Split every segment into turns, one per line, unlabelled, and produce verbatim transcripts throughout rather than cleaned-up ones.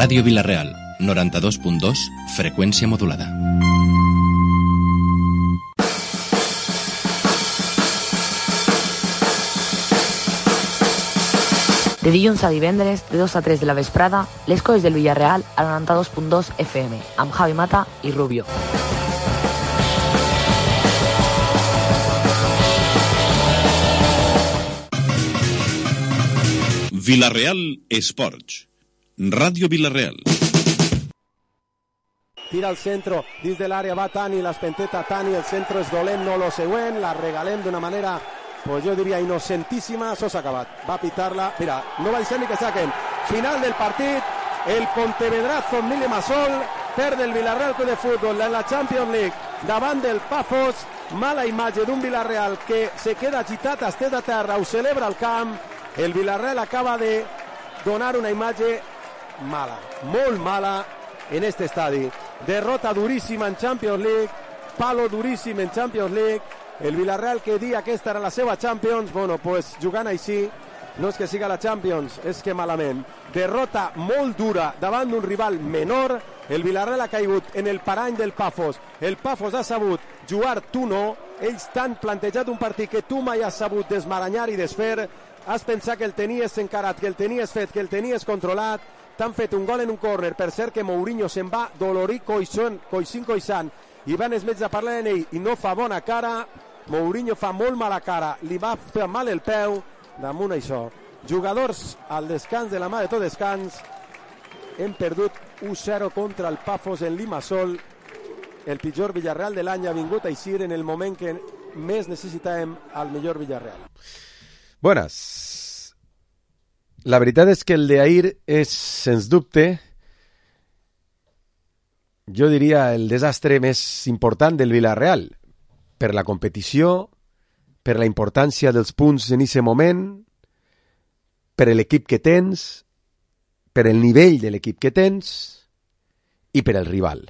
Ràdio Vila-real, noranta-dos punt dos, freqüència modulada.
De dilluns a divendres, de dos a tres de la vesprada, les coses del Villarreal a noranta-dos punt dos F M, amb Javi Mata i Rubio.
Vila-real Esports. Ràdio Vila-real.
Tira al centro, dins de l'àrea va Tani, l'espenteta Tani, el centro és dolent, no lo següent, la regalem d'una manera, pues jo diria innocentíssima, això s'ha acabat, va pitar-la, mira, no va ser ni que saquen, final del partit, el Pontevedrazo amb Limassol, perd el Villarreal Club de Futbol en la Champions League davant del Pafos, mala imatge d'un Villarreal que se queda agitat, estès a terra, ho celebra al camp, el Villarreal acaba de donar una imatge mala, molt mala en este estadi. Derrota duríssima en Champions League, palo duríssim en Champions League, el Villarreal que dia que esta era la seva Champions, bueno, pues jugant així, no és que siga la Champions, és que malament. Derrota molt dura davant d'un rival menor, el Villarreal ha caigut en el parany del Pafos, el Pafos ha sabut jugar, tu no, ells t'han plantejat un partit que tu mai has sabut desmaranyar i desfer, has pensat que el tenies encarat, que el tenies fet, que el tenies controlat, t'han fet un gol en un córner, per cert que Mourinho se'n va dolorit coixant, coixint, coixant, i van els metges a parlar en ell i no fa bona cara, Mourinho fa molt mala cara, li va fer mal el peu, damunt això. Jugadors al descans de la mà de tot descans, hem perdut u zero contra el Pafos en Limassol, el pitjor Villarreal de l'any ha vingut a eixir en el moment que més necessitàvem al millor Villarreal.
Buenas. La veritat és que el d'ahir és, sens dubte, jo diria el desastre més important del Villarreal, per la competició, per la importància dels punts en aquest moment, per l'equip que tens, per el nivell de l'equip que tens i per el rival.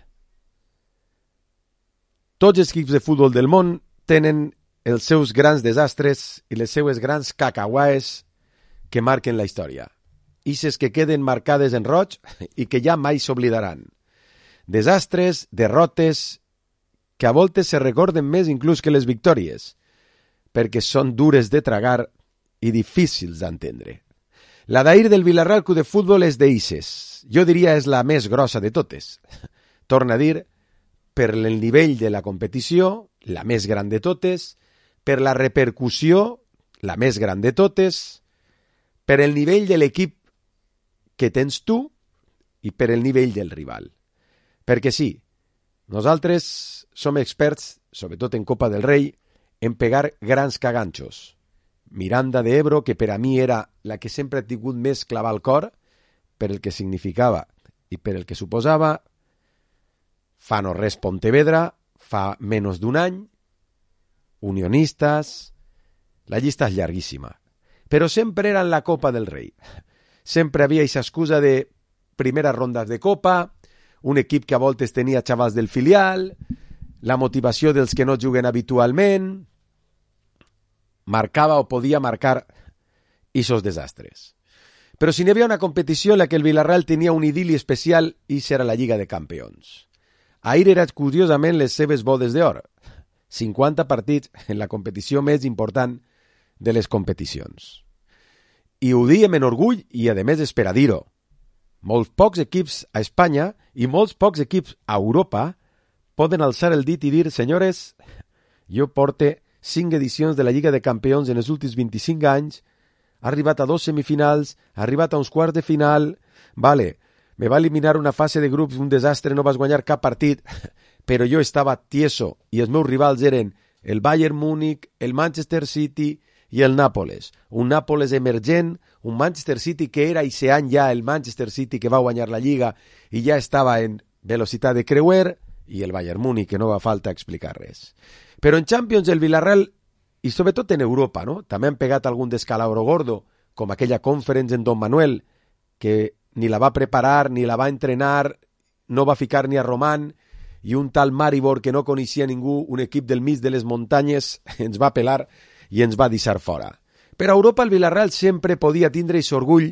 Tots els equips de futbol del món tenen els seus grans desastres i les seues grans cacahuaes que marquen la història. Ixes que queden marcades en roig i que ja mai s'oblidaran. Desastres, derrotes, que a voltes se recorden més inclús que les victòries, perquè són dures de tragar i difícils d'entendre. La d'ahir del Villarreal Club de Futbol és d'Ixes. Jo diria és la més grossa de totes. Torna a dir, per el nivell de la competició, la més gran de totes, per la repercussió, la més gran de totes, per el nivell de l'equip que tens tu i per el nivell del rival. Perquè sí, nosaltres som experts, sobretot en Copa del Rei, en pegar grans caganxos. Miranda de Ebro, que per a mi era la que sempre ha tingut més clavar al cor, per el que significava i per el que suposava, fa no res Pontevedra, fa menys d'un any, Unionistas, la llista és llarguíssima. Però sempre era en la Copa del Rei. Sempre havia aquesta excusa de primeres rondes de Copa, un equip que a voltes tenia xavals del filial, la motivació dels que no juguen habitualment, marcava o podia marcar aquests desastres. Però si n'hi havia una competició en la que el Villarreal tenia un idili especial, i era la Lliga de Campions. Ahir era curiosament les seves bodes d'or. cinquanta partits en la competició més important de les competicions. I ho diem en orgull i, a més, és per a dir-ho. Molts pocs equips a Espanya i molts pocs equips a Europa poden alçar el dit i dir, senyores, jo porte cinc edicions de la Lliga de Campions en els últims vint-i-cinc anys, ha arribat a dos semifinals, ha arribat a uns quarts de final, vale, me va eliminar una fase de grups, un desastre, no vas guanyar cap partit, però jo estava tieso i els meus rivals eren el Bayern Múnich, el Manchester City i el Nàpoles. Un Nàpoles emergent, un Manchester City que era aquest any ja el Manchester City que va guanyar la Lliga i ja estava en velocitat de creuer, i el Bayern Múnich, que no va falta explicar res. Però en Champions el Villarreal, i sobretot en Europa, no? També han pegat algun descalabro gordo, com aquella conference en Don Manuel, que ni la va preparar, ni la va entrenar, no va ficar ni a Román, i un tal Maribor que no coneixia ningú, un equip del mig de les muntanyes, ens va pelar i ens va deixar fora. Per a Europa el Villarreal sempre podia tindre aquest orgull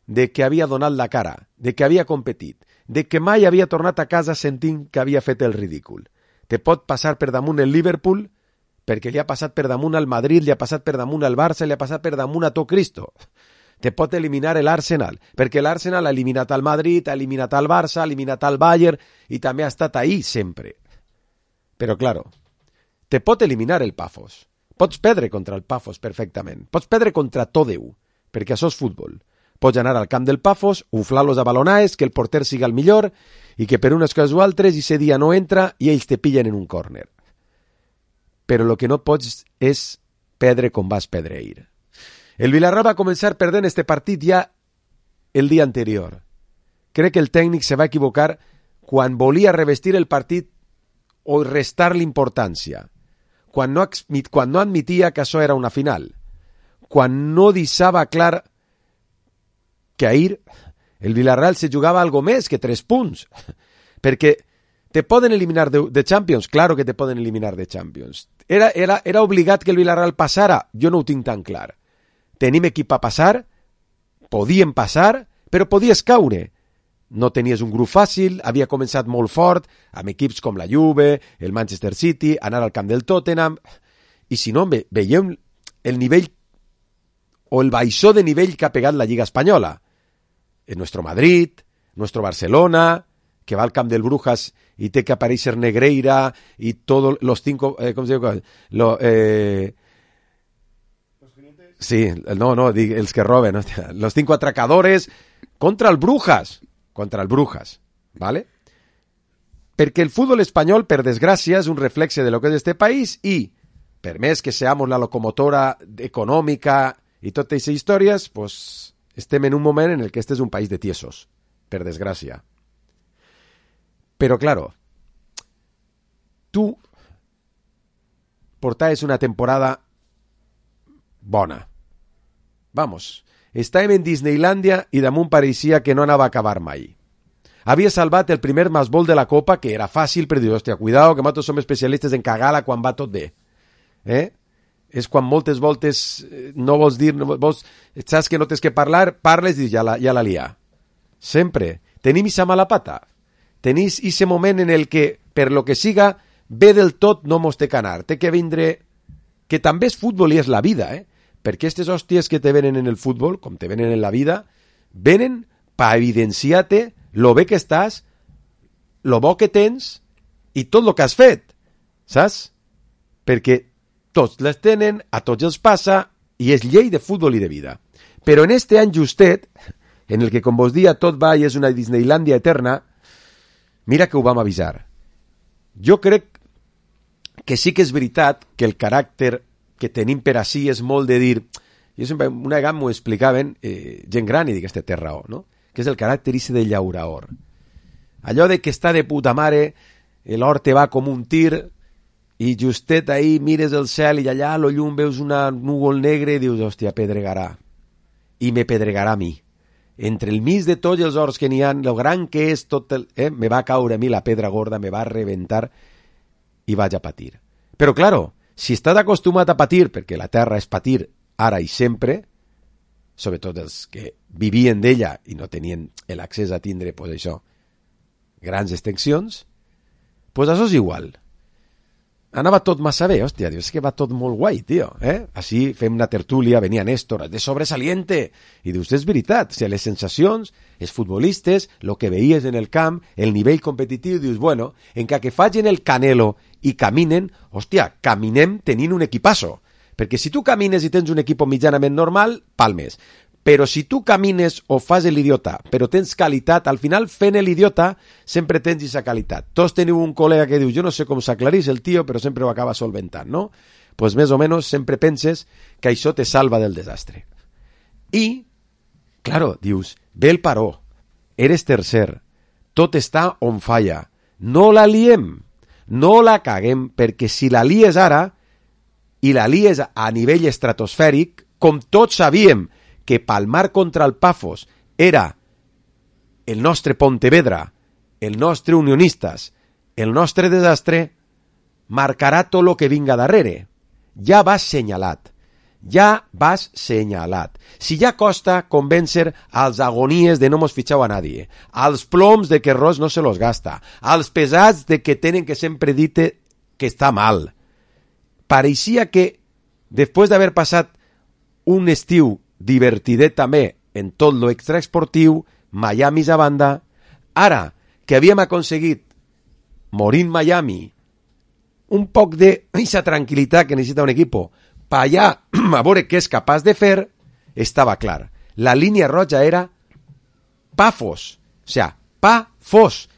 de que havia donat la cara, de que havia competit, de que mai havia tornat a casa sentint que havia fet el ridícul. Te pot passar per damunt el Liverpool, perquè li ha passat per damunt al Madrid, li ha passat per damunt al Barça, li ha passat per damunt a tot Cristo. Te pot eliminar l'Arsenal, perquè l'Arsenal ha eliminat al Madrid, ha eliminat al Barça, ha eliminat al Bayern, i també ha estat ahí sempre. Però, claro, te pot eliminar el Pafos. Pots perdre contra el Pafos perfectament. Pots perdre contra tot Déu, perquè això és futbol. Pots anar al camp del Pafos, uflar-los a balonaes, que el porter siga el millor, i que per unes coses o altres, i ese dia no entra, i ells te pillen en un córner. Però el que no pots és perdre com vas perdre ahir. El Villarreal va començar perdent este partit ja el dia anterior. Crec que el tècnic se va equivocar quan volia revestir el partit o restar l'importància, quan no, quan no admitia que això era una final, quan no deixava clar que ahir el Villarreal se jugava algo més que tres punts, perquè te poden eliminar de, de Champions, claro que te poden eliminar de Champions. Era, era, era obligat que el Villarreal passara? Jo no ho tinc tan clar. Tenim equip a passar, podien passar, però podies caure. No tenies un grup fàcil, havia començat molt fort, amb equips com la Juve, el Manchester City, anar al camp del Tottenham, i si no, ve, veiem el nivell o el baixó de nivell que ha pegat la Lliga Espanyola. En nuestro Madrid, nuestro Barcelona, que va al camp del Brujas y té que aparèixer Negreira y todos los cinco, eh, ¿cómo se diu? Lo, eh... Sí, no, no, els que roben, ¿no? Los cinco atracadores contra el Brujas, contra el Brujas, ¿vale? Perquè el fútbol espanyol, per desgràcia, és un reflexe de lo que és este país i, per més que seamos la locomotora econòmica i totes aquestes històries, pues estem en un moment en el que este és un país de tiesos, per desgràcia. Però, claro, tu portaves una temporada bona. Vamos, estàvem en Disneylandia i damunt pareixia que no anava a acabar mai. Havia salvat el primer masbol de la Copa, que era fàcil, però dius, hòstia, cuidao, que nosaltres som especialistes en cagar-la quan va tot bé. Eh? És quan moltes voltes no vols dir, no vols, saps que no tens que parlar, parles i ja la, ja la lia. Sempre. Tenim esa mala pata. Tenis ese moment en el que, per lo que siga, bé del tot no mos té que anar. Té que vindre... Que també és futbol i és la vida, eh? Perquè aquestes hòsties que te venen en el futbol, com te venen en la vida, venen per evidenciar-te lo bé que estàs, lo bo que tens i tot lo que has fet, saps? Perquè tots les tenen, a tots els passa, i és llei de futbol i de vida. Però en este any justet, en el que, com vos dia, tot va i és una Disneylandia eterna, mira que ho vam avisar. Jo crec que sí que és veritat que el caràcter que tenim per ací és molt de dir... Jo sempre, una vegada m'ho explicaven eh, gent gran i dic, este té raó, no? Que és el caràcter ese de llauraor. Allò de que està de puta mare, l'or te va com un tir i justet ahí mires el cel i allà a lo llum veus una núvol negre i dius, hòstia, pedregarà. I me pedregarà a mi. Entre el mig de tots els ors que n'hi ha, lo gran que és tot el... Eh, me va caure a mi la pedra gorda, me va reventar i vaig a patir. Però, claro, si estàs acostumat a patir, perquè la terra és patir ara i sempre, sobretot els que vivien d'ella i no tenien l'accés a tindre, pues això, grans extensions, pues això és igual. Anava tot massa bé, hòstia, dius, és que va tot molt guai, tio, eh? Així fem una tertúlia, venia Néstor, de sobresaliente, i dius, és veritat, o sigui, les sensacions, els futbolistes, el que veies en el camp, el nivell competitiu, dius, bueno, encara que facin el Canelo i caminen, hòstia, caminem tenint un equipasso, perquè si tu camines i tens un equip mitjanament normal, palmes. Però si tu camines o fas l'idiota, però tens qualitat, al final fent l'idiota sempre tens aquesta qualitat. Tots teniu un col·lega que diu, jo no sé com s'aclarís el tio, però sempre ho acaba solventant, no? Doncs pues més o menys sempre penses que això te salva del desastre. I, claro, dius, ve el paró, eres tercer, tot està on falla, no la liem, no la caguem, perquè si la lies ara, i la lies a nivell estratosfèric, com tots sabíem, que palmar contra el Pafos era el nostre Pontevedra, el nostre Unionistas, el nostre desastre, marcarà tot el que vinga darrere. Ja va assenyalat. ja vas senyalat. Si ja costa convèncer als agonies de no mos fitxau a nadie, als ploms de que Ross no se los gasta, als pesats de que tenen que sempre dite que està mal. Pareixia que, després d'haver passat un estiu divertidet també en tot lo extraesportiu, Miami a banda, ara que havíem aconseguit morir en Miami, un poc d'eixa tranquil·litat que necessita un equipo, pa allà a veure què és capaç de fer, estava clar. La línia roja era pa fos. O sigui, pa fos.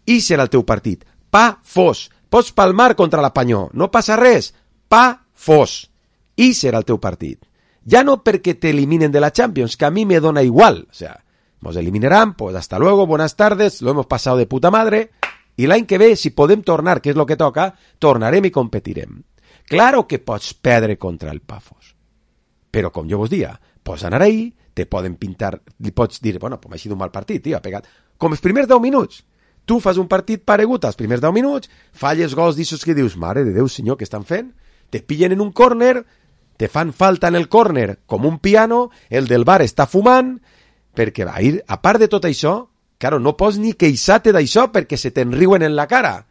I serà el teu partit. Pa fos. Pots palmar contra l'Apanyó. No passa res. Pa fos. I serà el teu partit. Ja no perquè t'eliminen de la Champions, que a mi me dona igual. O sea, nos eliminarán, pues hasta luego, buenas tardes, lo hemos pasado de puta madre, i l'any que ve, si podem tornar, que és lo que toca, tornarem i competirem. Claro que pots perdre contra el Pafos, però com jo vos dia, pots anar ahí, te poden pintar, li pots dir, bueno, pues m'ha sigut un mal partit, tio, ha pegat. Com els primers deu minuts, tu fas un partit paregut als primers deu minuts, falles gols d'issos que dius, mare de Déu, senyor, què estan fent? Te pillen en un córner, te fan falta en el córner com un piano, el del bar està fumant, perquè va ir, a part de tot això, claro, no pots ni queixar-te d'això perquè se te'n riuen en la cara.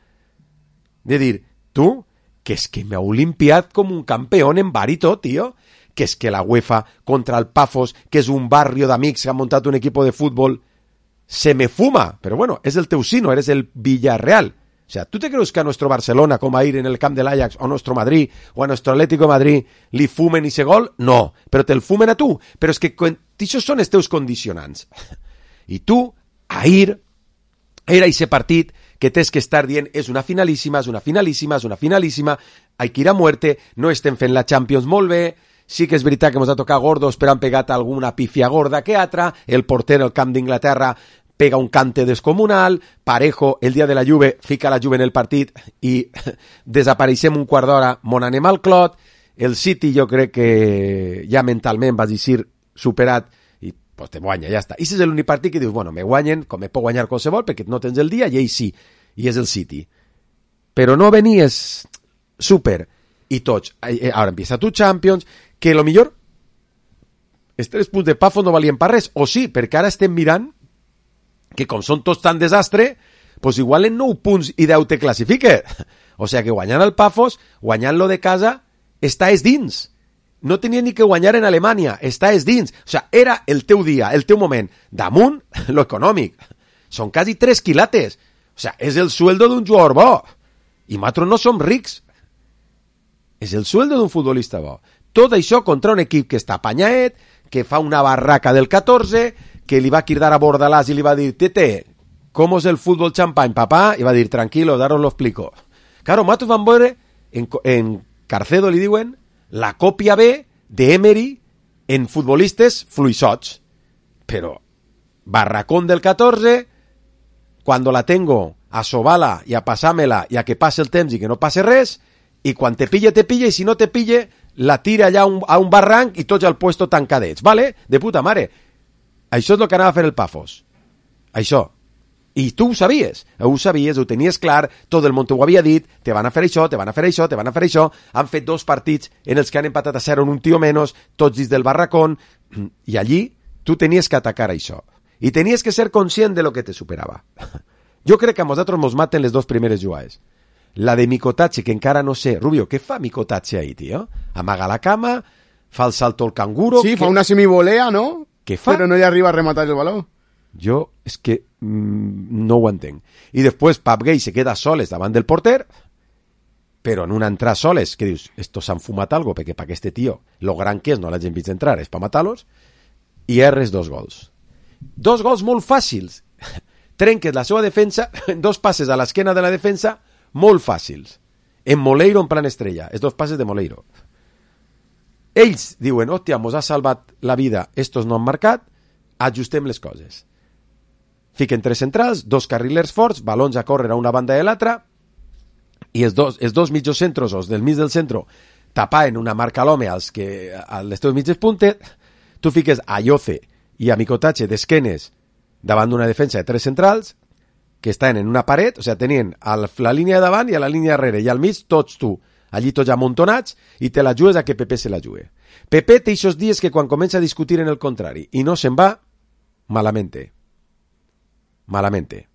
De dir, tu, que és que m'heu limpiat com un campió en bar i tot, tio, que és que la UEFA contra el Pafos, que és un barrio d'amics que han muntat un equipo de fútbol, se me fuma. Pero bueno, es el teu sino, eres el Villarreal. O sea, ¿tú te crees que a nuestro Barcelona, como a ir en el camp del Ajax, o a nuestro Madrid, o a nuestro Atlético de Madrid, li fumen ese gol? No, però te el fumen a tu. Però és que això són els teus condicionants. I tu, a ir, era ese partit que tens que estar dient, és una finalíssima, és una finalíssima, és una finalíssima, hay que ir a muerte, no estem fent la Champions molt bé, sí que és veritat que ens ha tocat gordos, però han pegat alguna pifia gorda que altra, el porter al camp d'Inglaterra pega un cante descomunal, Parejo, el dia de la Juve, fica la Juve en el partit i desapareixem un quart d'hora, mon anem al clot, el City jo crec que ja mentalment vas dir superat, i pues te guanya, ja està. I és l'únic partit que dius, bueno, me guanyen, com me puc guanyar qualsevol, perquè no tens el dia, i ell sí, i és el City. Però no venies super, i tots, ara empieza tu Champions, que lo millor, els tres punts de Pafos no valien per res, o sí, perquè ara estem mirant que com són tots tan desastre, pues igual en nou punts i deu te classifique. O sea que guanyant el Pafos, guanyant-lo de casa, està és dins. No tenia ni que guanyar en Alemanya, està és dins. O sea, era el teu dia, el teu moment. Damunt, lo econòmic. Són quasi tres quilates. O sea, és el sueldo d'un jugador bo. I nosaltres no som rics. És el sueldo d'un futbolista bo. Tot això contra un equip que està apanyaet, que fa una barraca del catorze, que li va cridar a Bordalàs i li va dir, tete, ¿cómo es el fútbol champán, papá? I va dir, tranquilo, daros lo explico. Claro, nosaltres vam veure, en, en Carcedo li diuen, la còpia B de Emery en futbolistes fluixots. Però, barracón del catorze, cuando la tengo a sobar-la i a passar-me-la i a que passe el temps i que no passe res, i quan te pille, te pille, i si no te pille, la tira allà a un, a un barranc i tots al puesto tancadets, ¿vale? De puta mare. Això és el que anava a fer el Pafos. Això. I tu ho sabies. Ho sabies, ho tenies clar, tot el món t'ho havia dit, te van a fer això, te van a fer això, te van a fer això. Han fet dos partits en els que han empatat a zero en un tio menys, tots dins del barracón, i allí tu tenies que atacar això. I tenies que ser conscient de lo que te superava. Jo crec que a nosaltres mos maten les dos primeres jugades. La de Mikotatxe, que encara no sé. Rubio, què fa Mikotatxe ahí, tio? Amaga la cama, fa el salto al canguro...
Sí,
que...
fa una semivolea, ¿no?
Què fa?
Però no hi arriba a rematar el baló.
Jo és que mmm, no ho entenc. I després Pap Gay se queda soles davant del porter, però en una entrada soles, que dius, estos s'han fumat algo, perquè per aquest tio, lo gran que és, no l'hagin vist entrar, és per matar-los, i erres dos gols. Dos gols molt fàcils. Trenques la seva defensa, dos passes a l'esquena de la defensa, molt fàcils. En Moleiro en plan estrella, els dos passes de Moleiro. Ells diuen, hòstia, mos ha salvat la vida, estos no han marcat, ajustem les coses. Fiquen tres centrals, dos carrilers forts, balons a córrer a una banda i a l'altra, i els dos, els dos mitjos centros, els del mig del centro, tapaven una marca a l'home als que, a les teves mitges puntes, tu fiques a Yoce i a Mikotatxe d'esquenes davant d'una defensa de tres centrals, que estaven en una paret, o sigui, tenien a la línia de davant i a la línia darrere, i al mig tots tu, allí tots amuntonats, i te la jugues a que Pepe se la jugue. Pepe té eixos dies que quan comença a discutir en el contrari i no se'n va, malamente. Malamente.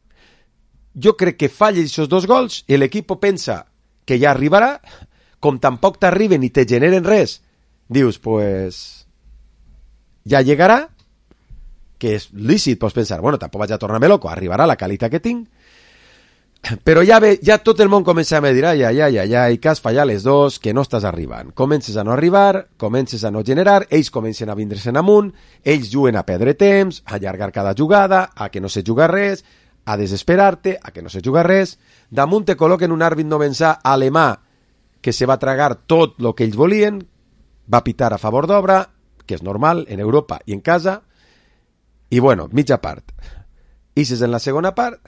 Jo crec que falla aquests dos gols i l'equip pensa que ja arribarà, com tampoc t'arriben i te generen res, dius, pues, ja llegarà, que és lícit, pots pensar, bueno, tampoc vaig a tornar-me loco, arribarà la qualitat que tinc, però ja ve, ja tot el món comença a dir, ai, ai, ai, ai, ai, que has fallat les dos, que no estàs arribant. Comences a no arribar, comences a no generar, ells comencen a vindre-se'n amunt, ells juguen a perdre temps, a allargar cada jugada, a que no se juga res, a desesperar-te, a que no se juga res, damunt te col·loquen un àrbit novensà alemà que se va tragar tot el que ells volien, va pitar a favor d'obra, que és normal en Europa i en casa, i bueno, mitja part. Ixes en la segona part,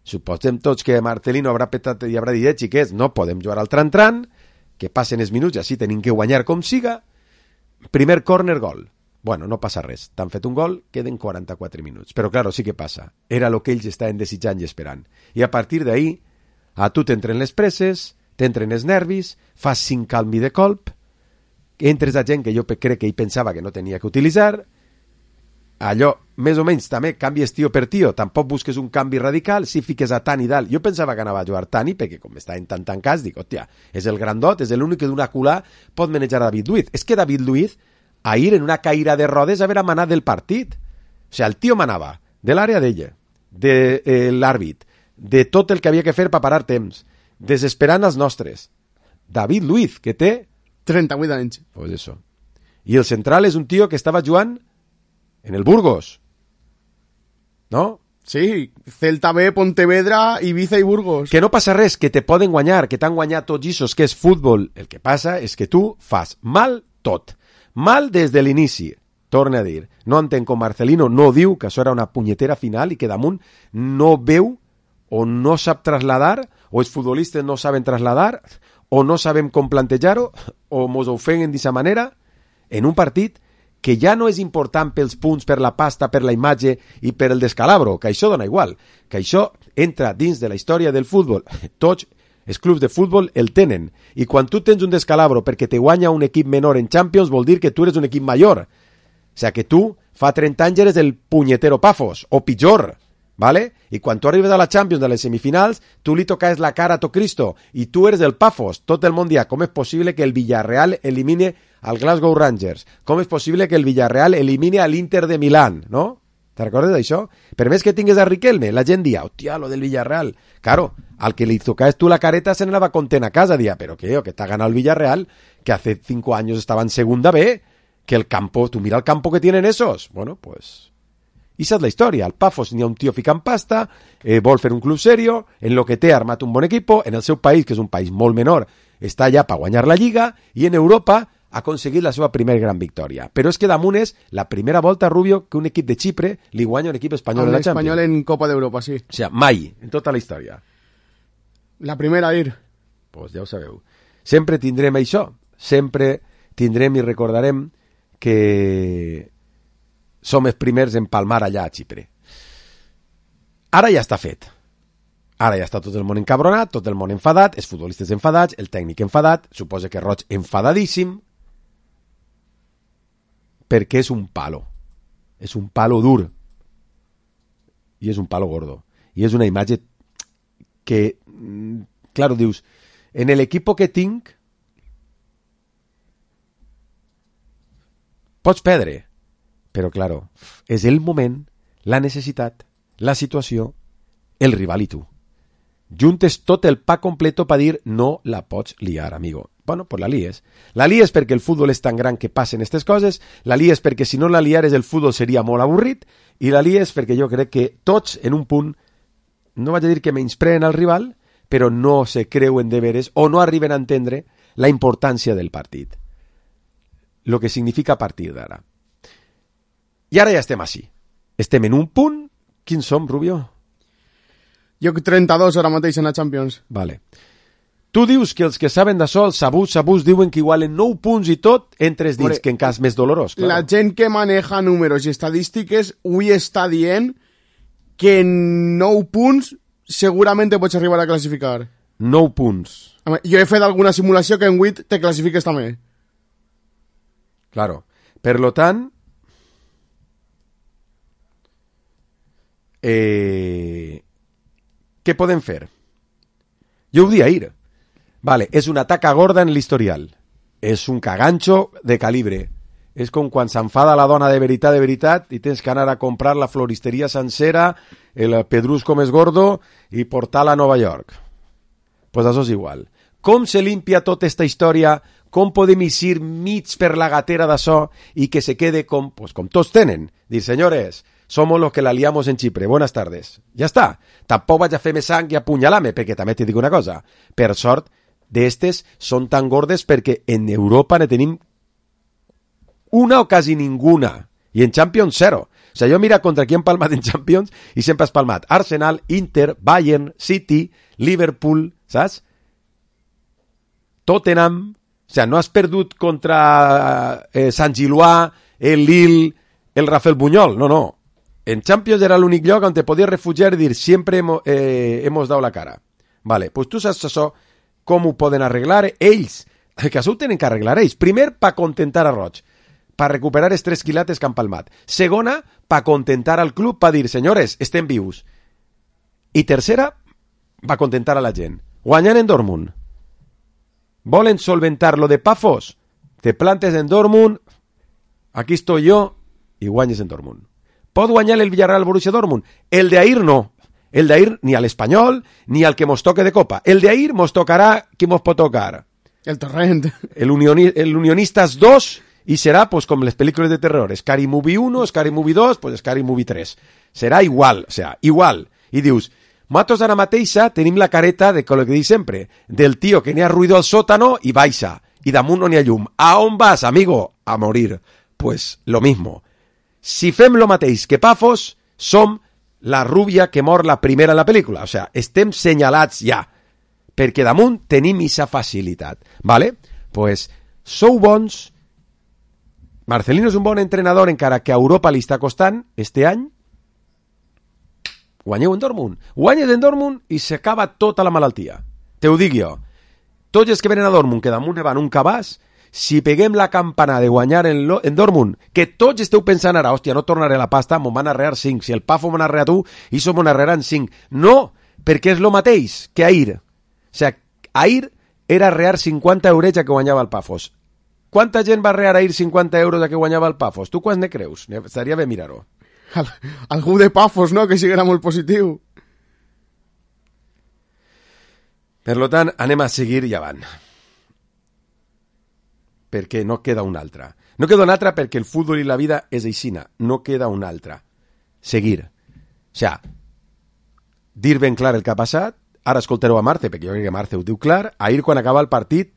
suposem tots que Marcelino haurà petat i haurà dit, eh, xiquets, no podem jugar al tran-tran, que passen els minuts i així tenim que guanyar com siga. Primer córner, gol. Bueno, no passa res. T'han fet un gol, queden quaranta-quatre minuts. Però, claro, sí que passa. Era el que ells estaven desitjant i esperant. I a partir d'ahí, a tu t'entren les presses, t'entren els nervis, fas cinc calmi de colp, entres a gent que jo crec que ell pensava que no tenia que utilitzar, allò, més o menys, també canvies tio per tio, tampoc busques un canvi radical, si fiques a Tani dalt. Jo pensava que anava a jugar Tani, perquè com estaven tan tancats, dic, hòstia, és el grandot, és l'únic que d'una culà pot manejar a David Luiz. És que David Luiz, ahir en una caïra de rodes, haver manat del partit. O sigui, el tio manava de l'àrea d'ella, de eh, l'àrbit, de tot el que havia que fer per parar temps, desesperant els nostres. David Luiz, que té...
trenta-vuit anys.
Pues eso. I el central és un tio que estava jugant en el Burgos. ¿No?
Sí, Celta B, Pontevedra, Ibiza i Burgos.
Que no passa res, que te poden guanyar, que t'han guanyat tots ixos, que és futbol. El que passa és que tu fas mal tot. Mal des de l'inici. Torna a dir. No entenc com Marcelino no diu que això era una punyetera final i que damunt no veu o no sap trasladar, o els futbolistes no saben trasladar, o no sabem com plantejar-ho, o mos ho ofeguen d'aquesta manera, en un partit que ja no és important pels punts, per la pasta, per la imatge i per el descalabro, que això dona igual, que això entra dins de la història del futbol. Tots els clubs de futbol el tenen, i quan tu tens un descalabro perquè te guanya un equip menor en Champions, vol dir que tu eres un equip major. O sigui, que tu fa trenta anys eres el punyetero Pafos, o pitjor, ¿vale? I quan tu arribes a la Champions, a les semifinals, tu li toques la cara a to Cristo, i tu eres el Pafos. Tot el món dirà, com és possible que el Villarreal elimine al Glasgow Rangers? Com és possible que el Villarreal elimine a l'Inter de Milán, no? Te recordes d'això? Per més que tingues a Riquelme, la gent dia, hòstia, lo del Villarreal. Claro, al que li tocaves tu la careta se n'anava content a casa, dia, però què, que t'ha ganado el Villarreal, que hace cinco años estaba en segunda B, que el campo, tu mira el campo que tienen esos. Bueno, pues... I esa és la història. Al Pafos n'hi ha un tio ficant pasta, eh, vol fer un club serio, en lo que té armat un bon equipo, en el seu país, que és un país molt menor, està allà per guanyar la Lliga, i en Europa ha aconseguit la seva primera gran victòria. Però és que damunt és la primera volta, Rubio, que un equip de Xipre li guanya un equip espanyol en la Champions.
Espanyol en Copa d'Europa, sí.
O sigui, mai, en tota la història.
La primera a ir.
Pues ja ho sabeu. Sempre tindrem això. Sempre tindrem i recordarem que som els primers en palmar allà a Xipre. Ara ja està fet. Ara ja està tot el món encabronat, tot el món enfadat, els futbolistes enfadats, el tècnic enfadat, suposa que Roig enfadadíssim, perquè és un palo. És un palo dur. I és un palo gordo. I és una imatge que, claro, dius, en l'equip que tinc pots perdre, però, claro, és el moment, la necessitat, la situació, el rival i tu. Juntes tot el pa completo per dir no la pots liar, amigo. Bueno, pues la lies. La lies perquè el futbol és tan gran que passen aquestes coses, la lies perquè si no la liares el futbol seria molt avorrit, i la lies perquè jo crec que tots en un punt, no vaig a dir que menyspreen al rival, però no se creuen de veres o no arriben a entendre la importància del partit. Lo que significa a partir d'ara. I ara ja estem així. Estem en un punt. Quins som, Rubio?
Jo trenta-dos ara mateix en la Champions.
Vale. Tu dius que els que saben d'això, els sabús, sabús, diuen que igualen nou punts i tot entre els dits, que en cas més dolorós. Claro.
La gent que maneja números i estadístiques avui està dient que en nou punts segurament te pots arribar a classificar.
Nou punts.
Jo he fet alguna simulació que en vuit te classifiques també.
Claro. Per lo tant, eh, què podem fer? Jo ho dia ahir. Vale, és una taca gorda en l'historial. És un cagancho de calibre. És com quan s'enfada la dona de veritat, de veritat, i tens que anar a comprar la floristeria sencera, el pedrusco més gordo, i portar-la a Nova York. Pues això és igual. Com se limpia tota esta història? Com podem eixir mig per la gatera d'això i que se quede com, pues, com tots tenen? Dir, senyores, somos los que la liamos en Chipre. Buenas tardes. Ja està. Tampoc vaig a fer més sang i apunyalar-me, perquè també t'hi dic una cosa. Per sort, d'estes són tan gordes perquè en Europa ne tenim una o quasi ninguna. I en Champions, zero. O sea, jo mira contra qui hem palmat en Champions i sempre has palmat Arsenal, Inter, Bayern, City, Liverpool, saps? Tottenham. O sea, no has perdut contra eh, Sant Gillois, el Lille, el Rafael Buñol. No, no. En Champions era l'únic lloc on te podies refugiar i dir sempre hemos, eh, hemos dado la cara. Vale, pues tu saps això, com ho poden arreglar ells. Que això ho tenen que arreglar ells. Primer, pa contentar a Roig, pa recuperar els tres quilates que han palmat. Segona, pa contentar al club, pa dir, senyores, estem vius. I tercera, pa contentar a la gent. Guanyant en Dortmund. Volen solventar lo de Pafos? Te plantes en Dortmund, aquí estoy yo, i guanyes en Dortmund. Pot guanyar el Villarreal Borussia Dortmund? El de ahir no. El de ahir ni al Espanyol, ni al que mos toque de Copa. El de ahir mos tocarà qui mos pot tocar.
El Torrent.
El, unioni el Unionistas dos, i serà pues, com les pel·lícules de terror. Scary Movie uno, Scary Movie dos, pues Scary Movie tres. Serà igual, o sea, igual. I dius, nosaltres ara mateixa tenim la careta de lo que dic sempre, del tio que n'hi ha ruïdo al sòtano i baixa, i damunt no n'hi ha llum. A on vas, amigo? A morir. Pues lo mismo. Si fem lo mateix que Pafos, som la rúbia que mor la primera en la pel·lícula. O sea, estem senyalats ja, perquè damunt tenim aquesta facilitat. Vale? Pues sou bons. Marcelino és un bon entrenador, encara que a Europa li està costant este any. Guanyeu en Dortmund. Guanyes en Dortmund i s'acaba tota la malaltia. Te ho dic jo. Tots els que venen a Dortmund, que damunt ne van un cabàs, si peguem la campana de guanyar en, lo, en Dortmund, que tots esteu pensant ara, hòstia, no tornaré la pasta, m'ho van arrear cinc. Si el Pafo m'ho arrea tu, i som m'ho arrearan cinc. No, perquè és lo mateix que ahir. O sigui, ahir era arrear cinquanta eurets a que guanyava el Pafos. Quanta gent va arrear ahir cinquanta euros a que guanyava el Pafos? Tu quants ne creus? Estaria bé mirar-ho.
Al, algú de Pafos, no?, que siguera molt positiu.
Per lo tant, anem a seguir i avant. Perquè no queda una altra. No queda una altra perquè el futbol i la vida és aixina. No queda una altra. Seguir. O sea, dir ben clar el que ha passat. Ara escoltareu a Marte, perquè jo crec que Marte ho diu clar. Ahir, quan acaba el partit,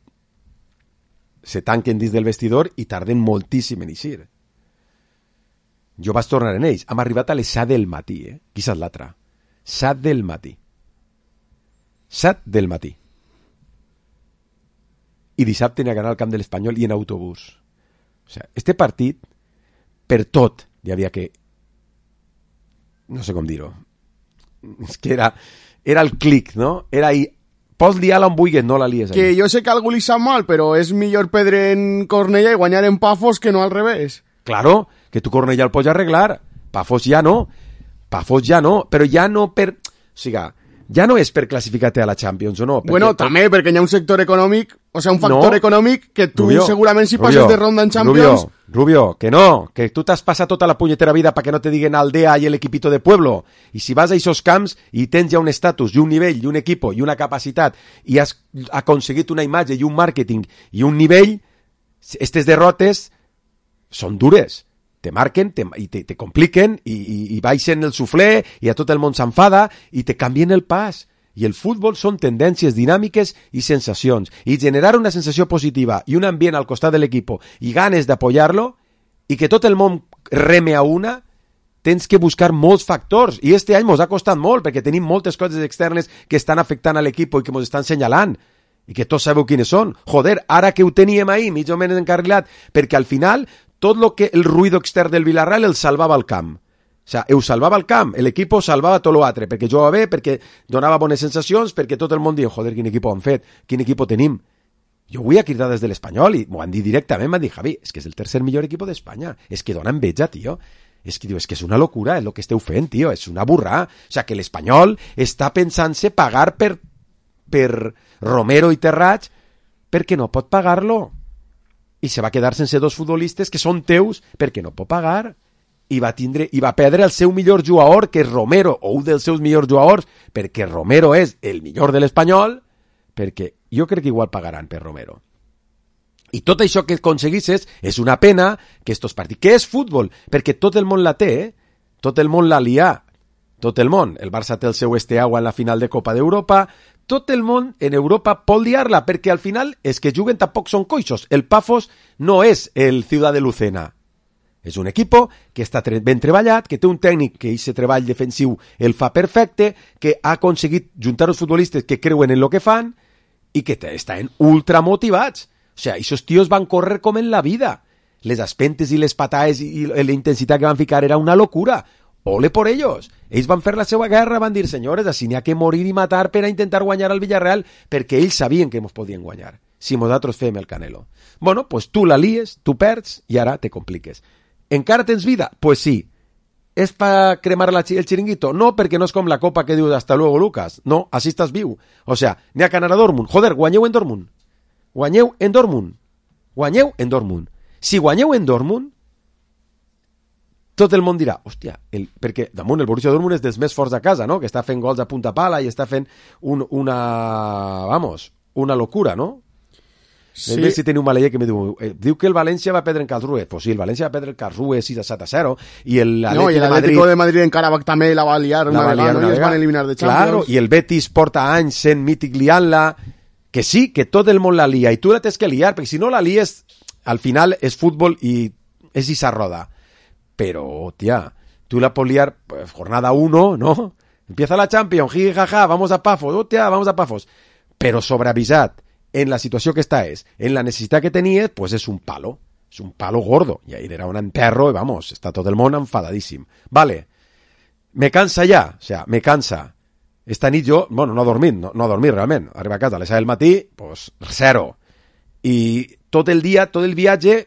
se tanquen dins del vestidor i tarden moltíssim en eixir. Jo vaig tornar en ells. Hem arribat a les set del matí, eh? Qui és l'altra? set del matí. set del matí. I dissabte n'hi ha d'anar al camp de l'Espanyol i en autobús. O sigui, este partit, per tot, hi havia que... No sé com dir-ho. És que era, era el clic, no? Era ahí. Pots liar-la on vulguis, no la lies.
Que
ahí.
jo sé que algú li sap mal, però és millor perdre en Cornellà i guanyar en Pafos que no al revés.
Claro, que tu Cornellà el pots arreglar. Pafos ja no. Pafos ja no. Però ja no per... O sigui, ja no és per classificar-te a la Champions o no.
Bueno, tot... també, perquè hi ha un sector econòmic, o sigui, un factor no. econòmic que tu Rubio,
Rubio,
segurament si passes de ronda en Champions...
Rubio, Rubio, que no, que tu t'has passat tota la punyetera vida perquè no te diguen aldea i el equipito de pueblo. I si vas a esos camps i tens ja un estatus i un nivell i un equipo i una capacitat i has aconseguit una imatge i un màrqueting i un nivell, aquestes derrotes són dures. Te marquen te, i te, te compliquen i, i, i baixen el suflé i a tot el món s'enfada i te canvien el pas. I el futbol són tendències dinàmiques i sensacions. I generar una sensació positiva i un ambient al costat de l'equip i ganes d'apoyar-lo i que tot el món reme a una, tens que buscar molts factors. I este any mos ha costat molt perquè tenim moltes coses externes que estan afectant a l'equip i que mos estan senyalant. I que tots sabeu quines són. Joder, ara que ho teníem ahir, mig o menys encarrilat, perquè al final... tot lo que el ruido extern del Villarreal el salvava al camp. O sea, ho salvava al camp, l'equip salvava tot l'altre, perquè jugava bé, perquè donava bones sensacions, perquè tot el món diu, joder, quin equip han fet, quin equip tenim. Jo vull a cridar des de l'Espanyol i m'ho han dit directament, m'han dit, Javi, és que és el tercer millor equip d'Espanya, és que dona enveja, tio. És que, diu, és que és una locura, és el que esteu fent, tio, és una burrà. O sea, que l'Espanyol està pensant-se pagar per, per Romero i Terrats perquè no pot pagar-lo. I se va quedar sense dos futbolistes que són teus perquè no pot pagar. I va tindre, i va perdre el seu millor jugador, que és Romero, o un dels seus millors jugadors, perquè Romero és el millor de l'Espanyol, perquè jo crec que igual pagaran per Romero. I tot això que aconseguisses és una pena que estos partits... Què és futbol? Perquè tot el món la té, eh? Tot el món la lià. Tot el món. El Barça té el seu Esteagua en la final de Copa d'Europa. Tot el món en Europa pot liar-la, perquè al final és que juguen tampoc són coixos. El Pafos no és el Ciudad de Lucena. És un equipo que està ben treballat, que té un tècnic que aquest treball defensiu el fa perfecte, que ha aconseguit juntar els futbolistes que creuen en el que fan i que estan ultra motivats. O sea, esos tíos van córrer com en la vida. Les aspentes i les patades i la intensitat que van ficar era una locura. Ole por ellos. Ells van fer la seva guerra, van dir, senyores, així n'hi ha que morir i matar per a intentar guanyar al Villarreal, perquè ells sabien que ens podien guanyar, si nosaltres fem el Canelo. Bueno, pues tu la lies, tu perds i ara te compliques. Encara tens vida? Pues sí. És per cremar la, el xiringuito? No, perquè no és com la copa que dius hasta luego, Lucas. No, així estàs viu. O sea, n'hi ha que anar a Dortmund. Joder, guanyeu en Dortmund. Guanyeu en Dortmund. Guanyeu en Dortmund. Si guanyeu en Dortmund, tot el món dirà, hòstia, el, perquè damunt el Borussia Dortmund és dels més forts a casa, no? Que està fent gols a punta pala i està fent un, una, vamos, una locura, no? Sí. A veure si teniu un maleller que me diu, eh, diu que el València va perdre en Karlsruhe. Pues sí, el València va perdre en Karlsruhe sis a set a zero i el
no, i l'Atlético de Madrid en Carabach també la va liar una vegada, no? I es van eliminar de Champions.
Claro, i el Betis porta anys sent mític liant-la, que sí, que tot el món la lia i tu la tens que liar, perquè si no la lies al final és futbol i és issa roda. Però, tia, tú la pots liar pues, jornada uno, ¿no? Empieza la Champions, jiji, jaja, vamos a Pafos, hostia, vamos a Pafos. Però sobreavisat en la situació que està és, en la necessitat que tenies, pues és un palo, és un palo gordo. I ahí era un enterro i vamos, està tot el món enfadadíssim. Vale, me cansa ja, o sea, me cansa. Esta nit jo, bueno, no dormint, no, no dormir realment. Arriba a casa a les set del matí, pues, zero. I tot el dia, tot el viatge,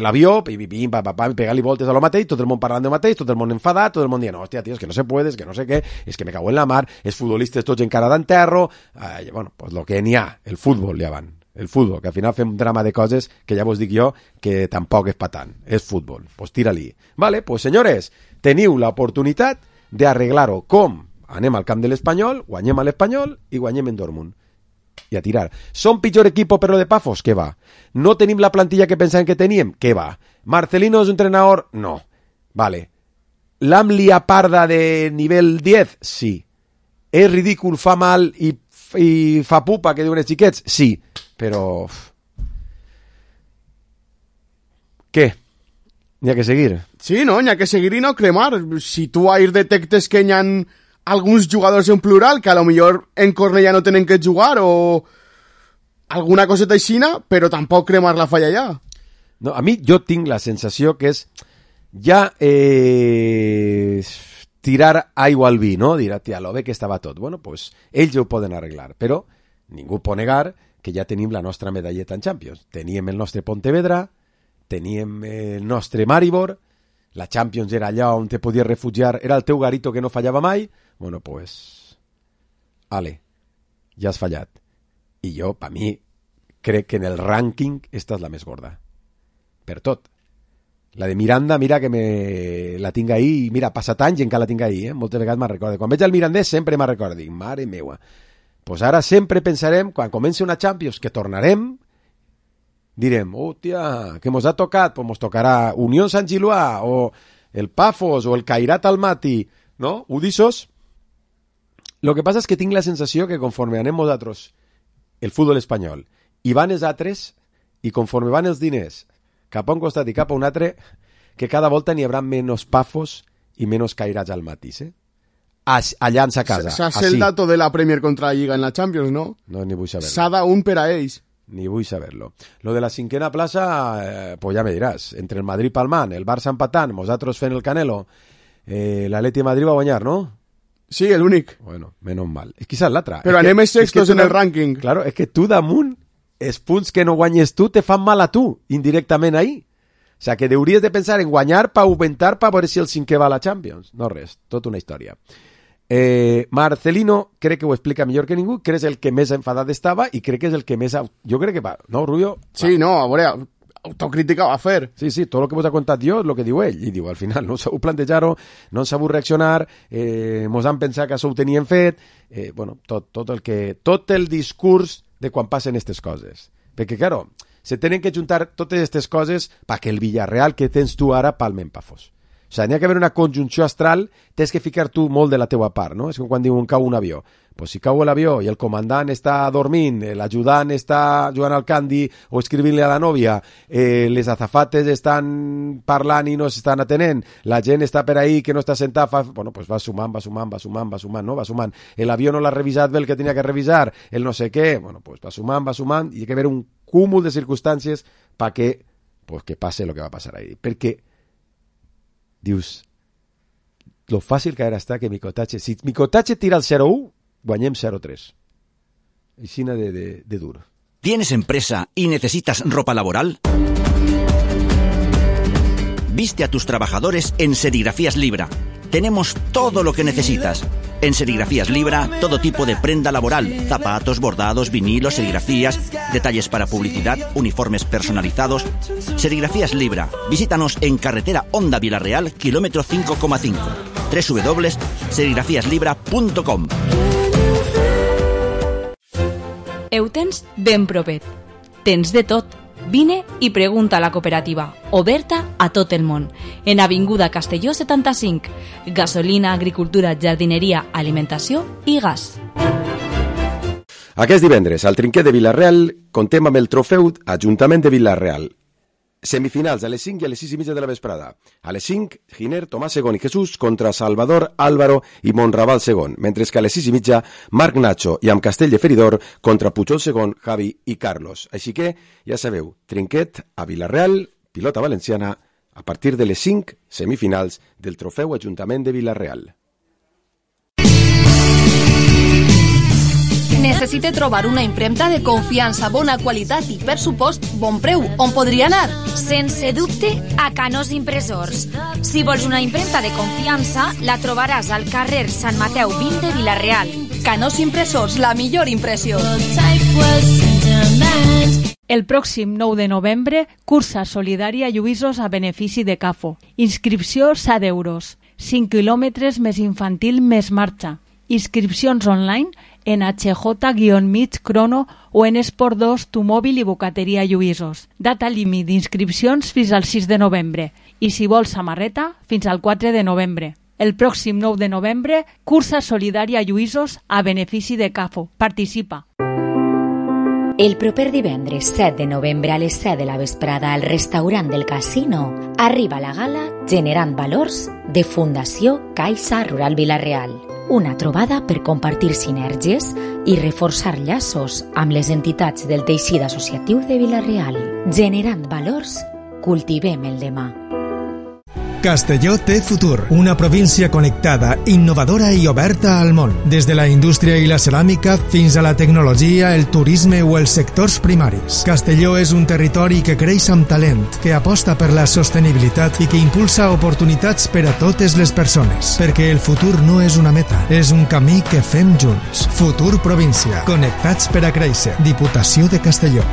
l'avió, pim, pim, pim, pam, pam, pegar-li voltes a lo mateix, tot el món parlant del mateix, tot el món enfadat, tot el món dient, no, hòstia, tio, és que no se puede, és que no sé què, és que me cago en la mar, els futbolistes tots encara d'enterro, eh, bueno, pues lo que n'hi ha, el futbol, ja van, el futbol, que al final fem un drama de coses que ja vos dic jo que tampoc és pa tant, és futbol, pues tira-li. Vale, pues senyores, teniu l'oportunitat d'arreglar-ho. Com? Anem al camp de l'Espanyol, guanyem a l'Espanyol i guanyem en Dortmund. I a tirar. Som pitjor equipo per lo de Pafos? Què va? No tenim la plantilla que pensàvem que teníem? Què va? Marcelino és un entrenador? No. Vale. L'am lia parda de nivell diez? Sí. És ridícul, fa mal i, i fa pupa, que diuen els xiquets? Sí. Però... Què? N'hi ha que seguir.
Sí, no, n'hi ha que seguir i no cremar. Si tu ahir detectes que n'hi ha alguns jugadors en plural que a lo millor en Cornellà no tenen que jugar o alguna coseta aixina, però tampoc cremar la falla ja.
No, a mi jo tinc la sensació que és ja eh, tirar aigua al vi, no? Dir, tia, lo bé que estava tot. Bueno, pues ells ho poden arreglar, però ningú pot negar que ja tenim la nostra medalleta en Champions. Teníem el nostre Pontevedra, teníem el nostre Maribor, la Champions era allà on te podies refugiar, era el teu garito que no fallava mai. Bueno, pues, ale, ja has fallat. I jo, per mi, crec que en el rànquing esta és la més gorda. Per tot. La de Miranda, mira que me la tinc ahí, i mira, passat anys i encara la tinc ahí, eh? Moltes vegades me'n recordo. Quan veig el mirandès sempre me'n recordo, dic, mare meua. Pues ara sempre pensarem, quan comenci una Champions, que tornarem, direm, hòstia, que mos ha tocat, pues mos tocarà Unió Sant Giluà, o el Pafos, o el Cairat Almaty, no? Udissos. Lo que passa és que tinc la sensació que conforme anem nosaltres, el futbol espanyol, i van els altres, i conforme van els diners cap a un costat i cap a un altre, que cada volta n'hi haurà menys Pafos i menys Cairats Almaty, eh? Allà en sa casa.
Saps el dato de la Premier contra la Lliga en la Champions, no?
No, ni vull saber-lo.
S'ha un per a ells.
Ni vull saber-lo. Lo de la cinquena plaça, eh, pues ja me diràs. Entre el Madrid palmant, el Barça empatant, nosaltres fent el Canelo, eh, l'Atleti de Madrid va guanyar, no?
Sí, l'únic.
Bueno, menos mal. És que és l'altra.
Però
es
anem
que,
sextos
es que
en el
da...
rànquing.
Claro, és que tu damunt els punts que no guanyes tu te fan mal a tu, indirectament ahí. O sea, que hauries de pensar en guanyar per augmentar per veure si el cinquè va a la Champions. No res, tota una història. Eh, Marcelino crec que ho explica millor que ningú, crec que és el que més enfadat estava i crec que és el que més... Jo crec que va, no, Rubio?
Sí, va. No, a veure, autocrítica va a fer.
Sí, sí, tot el que vos ha contat jo és el que diu ell. I diu, al final no sabeu plantejar-ho, no sabeu reaccionar, eh, mos han pensat que això ho tenien fet, eh, bueno, tot, tot, el que, tot el discurs de quan passen aquestes coses. Perquè, claro, se tenen que juntar totes aquestes coses perquè el Villarreal que tens tu ara palmen pafos. O sigui, n'hi ha que haver una conjunció astral, tens que ficar tu molt de la teua part, no? És com quan diuen cau un avió. Pues si cau l'avió i el comandant està dormint, l'ajudant està jugant al candy o escrivint-li a la nòvia, eh, les azafates estan parlant i no s'estan atenent, la gent està per ahí que no està sentat, fa... bueno, pues va sumant, va sumant, va sumant, va sumant, no? Va sumant. L'avió no l'ha revisat bé el que tenia que revisar, el no sé què, bueno, pues va sumant, va sumant, i hi ha que haver un cúmul de circumstàncies perquè pues, que passe el que va passar ahí. Perquè dius, lo fàcil que ara està que Micotache, si Micotache tira el cero uno, guanyem cero tres. Aixina de, de, de dur.
¿Tienes empresa y necesitas ropa laboral? Viste a tus trabajadores en Serigrafías Libra. Tenemos todo lo que necesitas. En Serigrafías Libra, todo tipo de prenda laboral, zapatos, bordados, vinilos, serigrafías, detalles para publicidad, uniformes personalizados. Serigrafías Libra. Visítanos en carretera Honda Vilarreal, kilómetro cinco coma cinco. doble u doble u doble u punto serigrafías libra punto com.
Ho tens ben propet. Tens de tot. Vine i pregunta a la cooperativa, oberta a tot el món, en Avinguda Castelló setanta-cinc. Gasolina, agricultura, jardineria, alimentació i gas.
Aquest divendres, al trinquet de Vilareal, contem amb el trofeu Ajuntament de Vilareal. Semifinals a les cinc i a les sis i mitja de la vesprada. A les cinc, Giner, Tomàs segon i Jesús contra Salvador, Álvaro i Monraval segon, mentre que a les sis i mitja, Marc Nacho i amb Castell de Feridor contra Pujol segon, Javi i Carlos. Així que, ja sabeu, trinquet a Vilareal, pilota valenciana, a partir de les cinc, semifinals del trofeu Ajuntament de Vilareal.
Necessite trobar una impremta de confiança, bona qualitat i, per supost, bon preu. On podria anar?
Sense dubte, a Canós Impressors. Si vols una impremta de confiança, la trobaràs al carrer Sant Mateu vint de Vilareal.
Canós Impressors, la millor impressió.
El pròxim nou de novembre, cursa solidària Lluïsos a benefici de CAFO. Inscripció set euros. cinc quilòmetres més infantil més marxa. Inscripcions online en H J mig crono o en Esport dos, tu mòbil i bocateria Lluïsos. Data límit d'inscripcions fins al sis de novembre i si vols samarreta fins al quatre de novembre. El pròxim nou de novembre, cursa solidària Lluïsos a benefici de CAFO. Participa.
El proper divendres set de novembre a les set de la vesprada al restaurant del Casino arriba la gala Generant Valors de Fundació Caixa Rural Vilareal. Una trobada per compartir sinergies i reforçar llaços amb les entitats del teixit associatiu de Vilareal. Generant valors, cultivem el demà.
Castelló té futur, una província connectada, innovadora i oberta al món. Des de la indústria i la ceràmica fins a la tecnologia, el turisme o els sectors primaris. Castelló és un territori que creix amb talent, que aposta per la sostenibilitat i que impulsa oportunitats per a totes les persones. Perquè el futur no és una meta, és un camí que fem junts. Futur província, connectats per a créixer. Diputació de Castelló.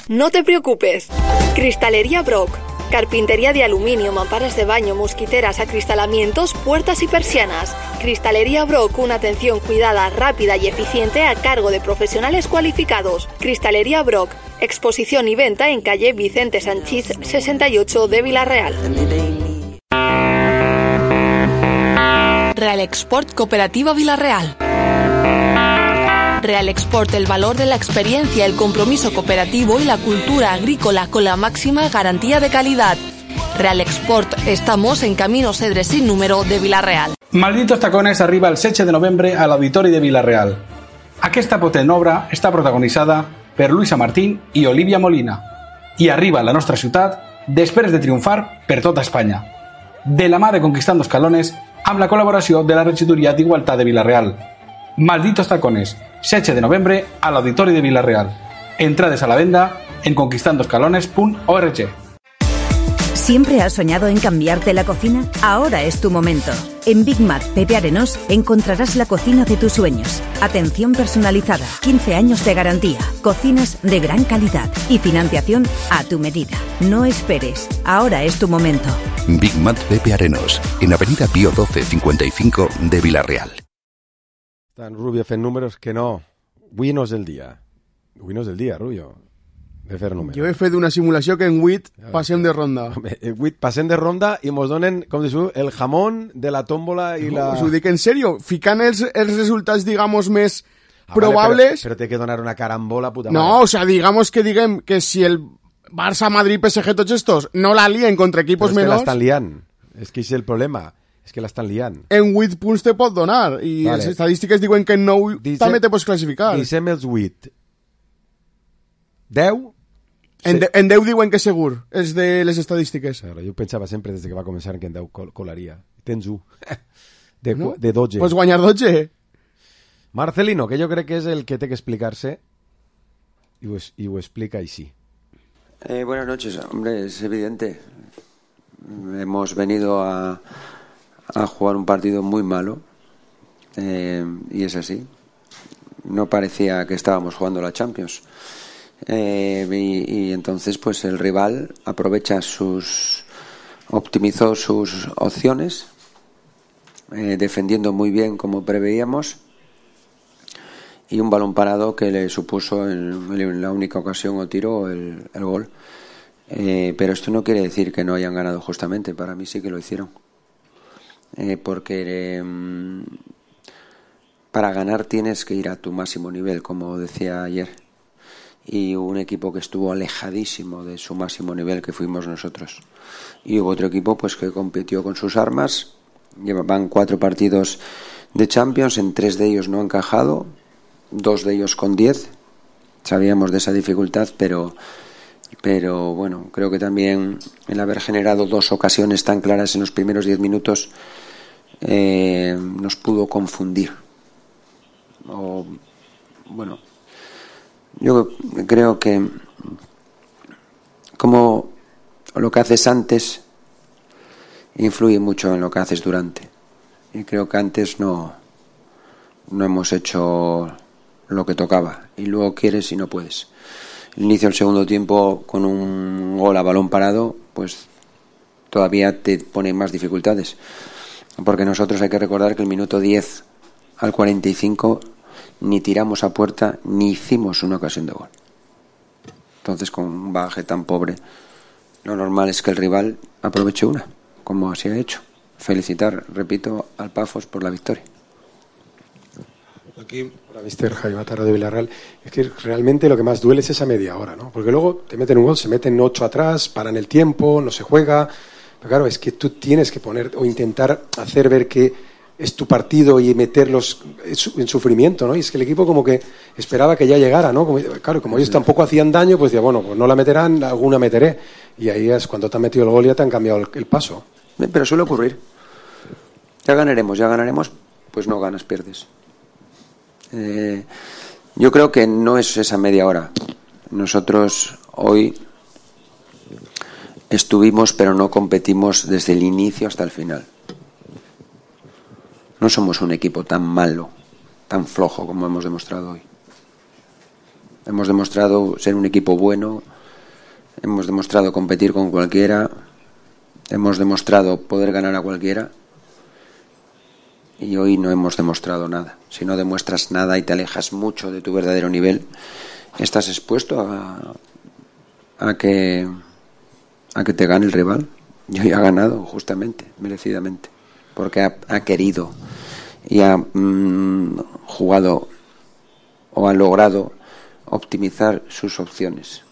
No te preocupes. Cristalería Brock. Carpintería de aluminio, mamparas de baño, mosquiteras, acristalamientos, puertas y persianas. Cristalería Brock, una atención cuidada, rápida y eficiente a cargo de profesionales cualificados. Cristalería Brock. Exposición y venta en calle Vicente Sanchís sesenta y ocho de Vilareal. Real Export Cooperativa Vilareal. Real Export, el valor de la experiencia, el compromiso cooperativo y la cultura agrícola con la máxima garantía de calidad. Real Export, estamos en Camino Cedre sin número de Vilareal.
Malditos tacones arriba el setze de novembre a l'Auditori de Vilareal. Aquesta potent obra està protagonitzada per Luisa Martín i Olivia Molina i arriba a la nostra ciutat després de triomfar per tota Espanya. De la mà de Conquistando Escalones amb la col·laboració de la Regidoria d'Igualtat de Vilareal. Malditos tacones, setze de novembre al Auditori de Villarreal. Entrades a la venda en conquistando escalones punto org.
¿Siempre has soñado en cambiarte la cocina? Ahora es tu momento. En Big Mat Pepe Arenós encontrarás la cocina de tus sueños. Atención personalizada, quince años de garantía, cocinas de gran calidad y financiación a tu medida. No esperes, ahora es tu momento.
Big Mat Pepe Arenós, en Avenida Pío doce cincuenta y cinco de Villarreal.
Están Rubio fent números que no. Avui no és el dia. Avui no és el dia, Rubio, de fer números.
Jo he fet una simulació que en huit passem de ronda.
En huit passem de ronda i mos donen, com dius, el jamón de la tómbola i la...
Us ho dic en sèrio, ficant els, els resultats, digamos, més
ah,
probables...
Vale, però, però té que donar una carambola puta
no,
madre.
O sea, digamos que diguem que si el Barça, Madrid, P S G, tots estos no la lien contra equipos
però és
menors...
que l'estan liant, és que és el problema, és que l'estan liant.
En huit punts te pot donar, i vale. Les estadístiques diuen que en nou també te pots classificar.
Dissem els huit. deu...
En, de, en deu diuen que segur, és de les estadístiques.
Claro, jo pensava sempre des que va començar que en deu col colaria. Tens u. De,
no?
de dotze.
Pues guanyar dotze.
Marcelino, que jo crec que és el que té que explicar-se, i ho, y ho explica així.
Eh, buenas noches, hombre, es evidente. Hemos venido a, a jugar un partido muy malo, eh, y es así. No parecía que estábamos jugando la Champions. Eh, y, y entonces pues el rival aprovecha sus optimizó sus opciones, eh, defendiendo muy bien como preveíamos, y un balón parado que le supuso en, en la única ocasión o tiro el, el gol, eh, pero esto no quiere decir que no hayan ganado justamente. Para mí sí que lo hicieron, eh, porque eh, para ganar tienes que ir a tu máximo nivel, como decía ayer. Y hubo un equipo que estuvo alejadísimo de su máximo nivel, que fuimos nosotros. Y hubo otro equipo pues que compitió con sus armas. Llevaban cuatro partidos de Champions, en tres de ellos no han encajado, dos de ellos con diez. Sabíamos de esa dificultad, pero pero bueno, creo que también el haber generado dos ocasiones tan claras en los primeros diez minutos eh, nos pudo confundir. O bueno, yo creo que como lo que haces antes influye mucho en lo que haces durante, y creo que antes no no hemos hecho lo que tocaba, y luego quieres y no puedes. El inicio del segundo tiempo con un gol a balón parado pues todavía te pone más dificultades, porque nosotros hay que recordar que el minuto diez al cuarenta y cinco ni tiramos a puerta ni hicimos una ocasión de gol. Entonces, con un bagaje tan pobre, lo normal es que el rival aproveche una, como así ha hecho. Felicitar, repito, al Pafos por la victoria.
Aquí, para mister Jaime Mataro de Villarreal, es que realmente lo que más duele es esa media hora, ¿no? Porque luego te meten un gol, se meten ocho atrás, paran el tiempo, no se juega. Pero claro, es que tú tienes que poner o intentar hacer ver que es tu partido y meterlos en sufrimiento, ¿no? Y es que el equipo como que esperaba que ya llegara, ¿no? Como, claro, como ellos tampoco hacían daño, pues decía, bueno, pues no la meterán, alguna meteré. Y ahí es cuando te han metido el gol y ya te han cambiado el, el paso.
Pero suele ocurrir. Ya ganaremos, ya ganaremos, pues no ganas, pierdes. Eh, yo creo que no es esa media hora. Nosotros hoy estuvimos, pero no competimos desde el inicio hasta el final. No somos un equipo tan malo, tan flojo como hemos demostrado hoy. Hemos demostrado ser un equipo bueno, hemos demostrado competir con cualquiera, hemos demostrado poder ganar a cualquiera, y hoy no hemos demostrado nada. Si no demuestras nada y te alejas mucho de tu verdadero nivel, estás expuesto a, a que a que te gane el rival. Y hoy ha ganado justamente, merecidamente, porque ha, ha querido y ha mmm, jugado o ha logrado optimizar sus opciones.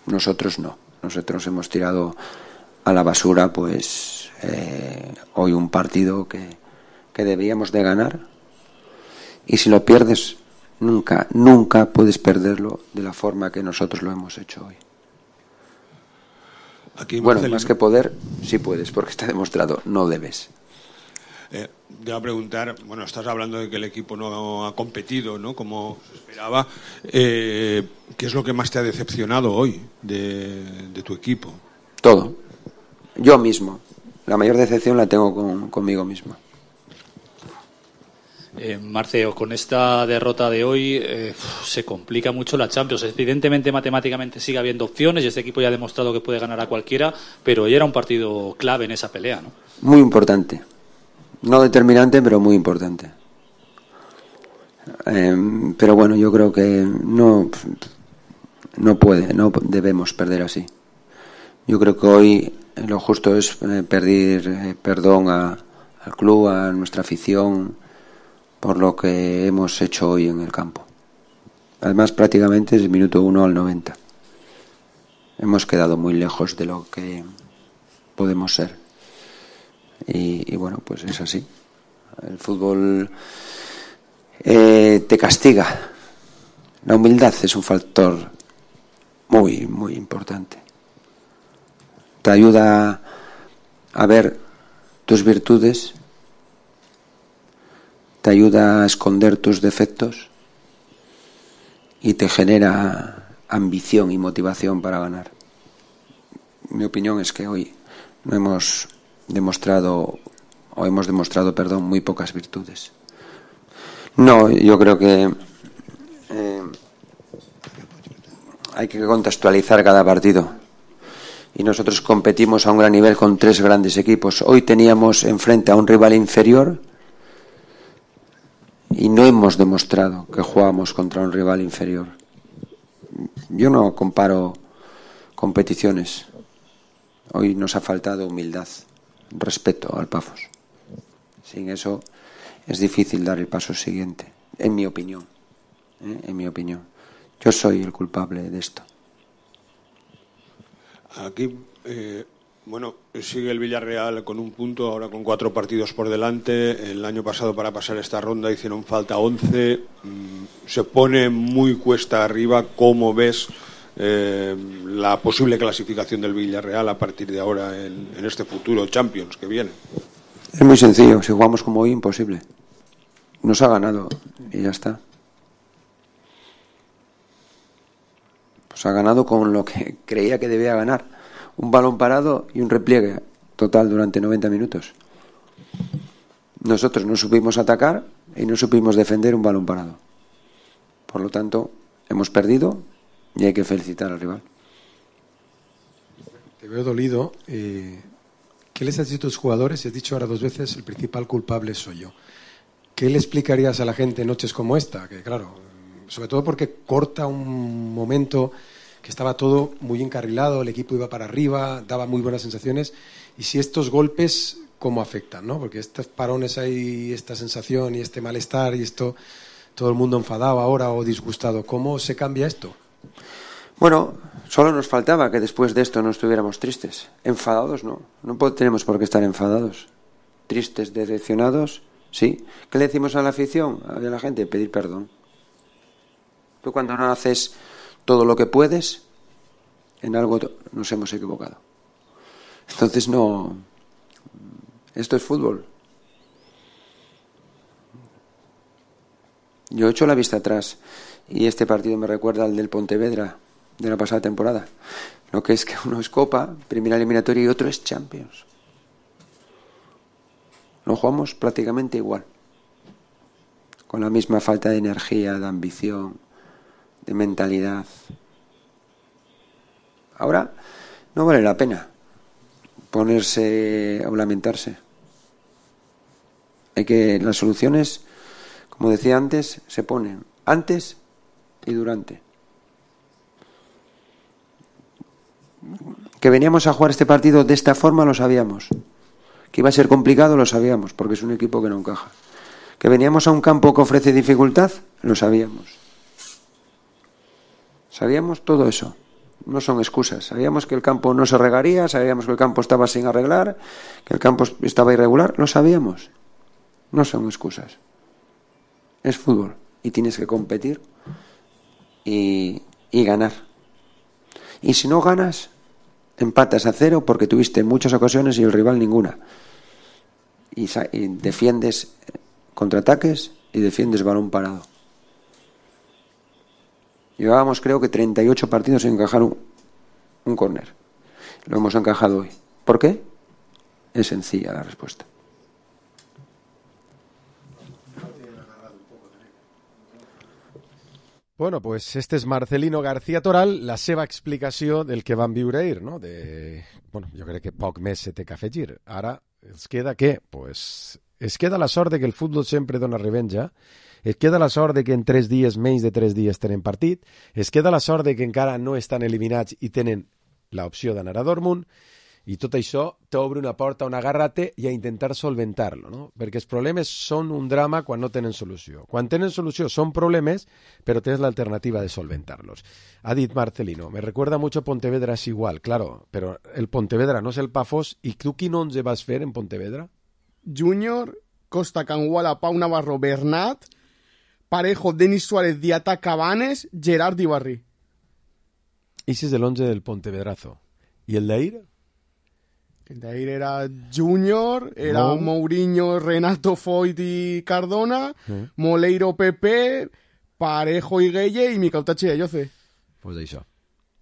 Nosotros no. Nosotros hemos tirado a la basura pues eh, hoy un partido que, que debíamos de ganar, y si lo pierdes nunca, nunca puedes perderlo de la forma que nosotros lo hemos hecho hoy.
Aquí,
bueno, más que poder, sí puedes, porque está demostrado, no debes.
Eh, te voy a preguntar, bueno, estás hablando de que el equipo no ha competido, ¿no?, como se esperaba. Eh, ¿Qué es lo que más te ha decepcionado hoy de, de tu equipo?
Todo. Yo mismo. La mayor decepción la tengo con, conmigo mismo.
Eh, Marceo, con esta derrota de hoy eh, se complica mucho la Champions. Evidentemente, matemáticamente sigue habiendo opciones y este equipo ya ha demostrado que puede ganar a cualquiera, pero hoy era un partido clave en esa pelea, ¿no?
Muy importante. No determinante, pero muy importante. Eh, pero bueno, yo creo que no, no puede, no debemos perder así. Yo creo que hoy lo justo es eh, pedir eh, perdón a, al club, a nuestra afición, por lo que hemos hecho hoy en el campo. Además, prácticamente es el minuto uno al noventa. Hemos quedado muy lejos de lo que podemos ser. Y, y bueno, pues es así. El fútbol eh, te castiga. La humildad es un factor muy, muy importante. Te ayuda a ver tus virtudes, te ayuda a esconder tus defectos y te genera ambición y motivación para ganar. Mi opinión es que hoy no hemos demostrado, o hemos demostrado, perdón, muy pocas virtudes. No, yo creo que eh, hay que contextualizar cada partido. Y nosotros competimos a un gran nivel con tres grandes equipos. Hoy teníamos enfrente a un rival inferior y no hemos demostrado que jugamos contra un rival inferior. Yo no comparo competiciones. Hoy nos ha faltado humildad, respeto al Pafos. Sin eso es difícil dar el paso siguiente, en mi opinión. ¿eh? En mi opinión. Yo soy el culpable de esto.
Aquí, eh, bueno, sigue el Villarreal con un punto, ahora con cuatro partidos por delante. El año pasado, para pasar esta ronda, hicieron falta once. Mm, se pone muy cuesta arriba. ¿Cómo ves eh, la posible clasificación del Villarreal a partir de ahora en, en este futuro Champions que viene?
Es muy sencillo. Si jugamos como hoy, imposible. Nos ha ganado y ya está. Pues ha ganado con lo que creía que debía ganar. Un balón parado y un repliegue total durante noventa minutos. Nosotros no supimos atacar y no supimos defender un balón parado. Por lo tanto, hemos perdido y hay que felicitar al rival.
Te veo dolido. Eh, ¿Qué les has dicho a tus jugadores? Has dicho ahora dos veces, el principal culpable soy yo. ¿Qué le explicarías a la gente en noches como esta? Que claro, sobre todo porque corta un momento que estaba todo muy encarrilado, el equipo iba para arriba, daba muy buenas sensaciones, y si estos golpes, ¿cómo afectan? ¿no? Porque estos parones hay, esta sensación y este malestar y esto, todo el mundo enfadado ahora o disgustado, ¿cómo se cambia esto?
Bueno, solo nos faltaba que después de esto no estuviéramos tristes. Enfadados no, no tenemos por qué estar enfadados. Tristes, decepcionados, sí. ¿Qué le decimos a la afición, a la gente? Pedir perdón. Tú cuando no haces todo lo que puedes, en algo nos hemos equivocado. Entonces no, esto es fútbol. Yo he hecho la vista atrás y este partido me recuerda al del Pontevedra de la pasada temporada. Lo que es que uno es Copa, primera eliminatoria, y otro es Champions. Lo jugamos prácticamente igual, con la misma falta de energía, de ambición, de mentalidad. Ahora no vale la pena ponerse o lamentarse. Hay que, las soluciones, como decía antes, se ponen antes y durante. Que veníamos a jugar este partido de esta forma lo sabíamos. Que iba a ser complicado lo sabíamos, porque es un equipo que no encaja. Que veníamos a un campo que ofrece dificultad, lo sabíamos. Sabíamos todo eso. No son excusas. Sabíamos que el campo no se regaría, sabíamos que el campo estaba sin arreglar, que el campo estaba irregular. Lo sabíamos. No son excusas. Es fútbol y tienes que competir y, y ganar. Y si no ganas, empatas a cero porque tuviste muchas ocasiones y el rival ninguna. y, y defiendes contraataques y defiendes balón parado. Llevábamos creo que treinta y ocho partidos sin encajar un, un córner. Lo hemos encajado hoy. ¿Por qué? Es sencilla la respuesta.
Bueno, pues este és Marcelino García Toral, la seva explicació del que van viure ahir, no? De, bueno, jo crec que poc més se té que afegir. Ara es queda què? Pues es queda la sort de que el futbol sempre dona revenja, es queda la sort de que en tres dies, menys de tres dies, tenen partit, es queda la sort de que encara no estan eliminats i tenen l'opció d'anar a Dortmund, i tot això t'obre una porta a un agarrate i a intentar solventar-lo, no? Perquè els problemes són un drama quan no tenen solució. Quan tenen solució són problemes, però tens l'alternativa de solventar-los. Ha dit Marcelino, me recuerda mucho Pontevedra es igual, claro, però el Pontevedra no és el Pafos, i tu quin onze vas fer en Pontevedra?
Júnior, Costa, Canguala, Pau Navarro, Bernat, Parejo, Denis Suárez, Diata, Cabanes, Gerard i Barri.
Ese és l'onze del Pontevedrazo. I el d'ahir?
El d'ahir era Júnior, era no. Mourinho, Renato, Foyt i Cardona, sí. Moleiro, Pepe, Parejo i Gueye i Miquel Tachi i Ayoce.
Pues això.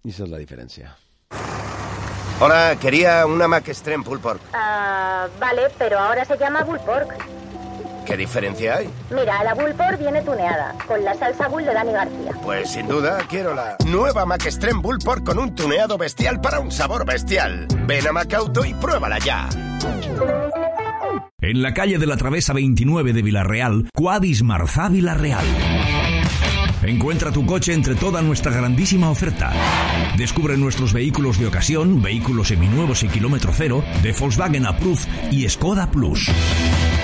Esa es la diferencia.
Hola, quería una Mac Extreme Pulled Pork.
Uh, vale, pero ahora se llama Bull Pork.
¿Qué diferencia hay?
Mira, la Bull Pork viene tuneada, con la salsa Bull de Dani García.
Pues sin duda, quiero la nueva Mac Extreme Bull Pork con un tuneado bestial para un sabor bestial. Ven a Macauto y pruébala ya.
En la calle de la Travesa veintinueve de Villarreal, Quadis Marzá Villarreal. Encuentra tu coche entre toda nuestra grandísima oferta. Descubre nuestros vehículos de ocasión, vehículos seminuevos y kilómetro cero, de Volkswagen Approved y Skoda Plus.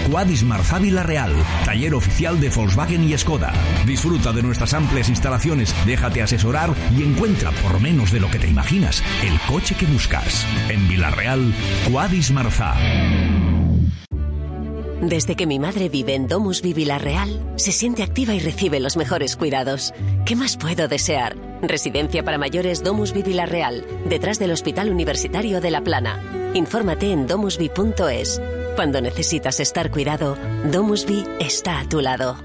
Quadis Marzá Villarreal, taller oficial de Volkswagen y Skoda. Disfruta de nuestras amplias instalaciones, déjate asesorar y encuentra, por menos de lo que te imaginas, el coche que buscas. En Villarreal, Quadis Marzá.
Desde que mi madre vive en Domusvi Villarreal, se siente activa y recibe los mejores cuidados. ¿Qué más puedo desear? Residencia para mayores Domusvi Villarreal, detrás del Hospital Universitario de La Plana. Infórmate en domusvi punto es. Cuando necesitas estar cuidado, Domusvi está a tu lado.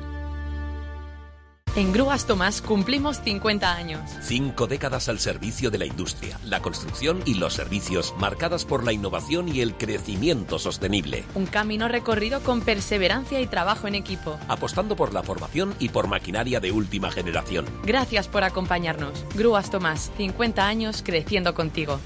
En Grúas Tomás cumplimos cincuenta años.
Cinco décadas al servicio de la industria, la construcción y los servicios, marcadas por la innovación y el crecimiento sostenible.
Un camino recorrido con perseverancia y trabajo en equipo.
Apostando por la formación y por maquinaria de última generación.
Gracias por acompañarnos. Grúas Tomás, cincuenta años creciendo contigo.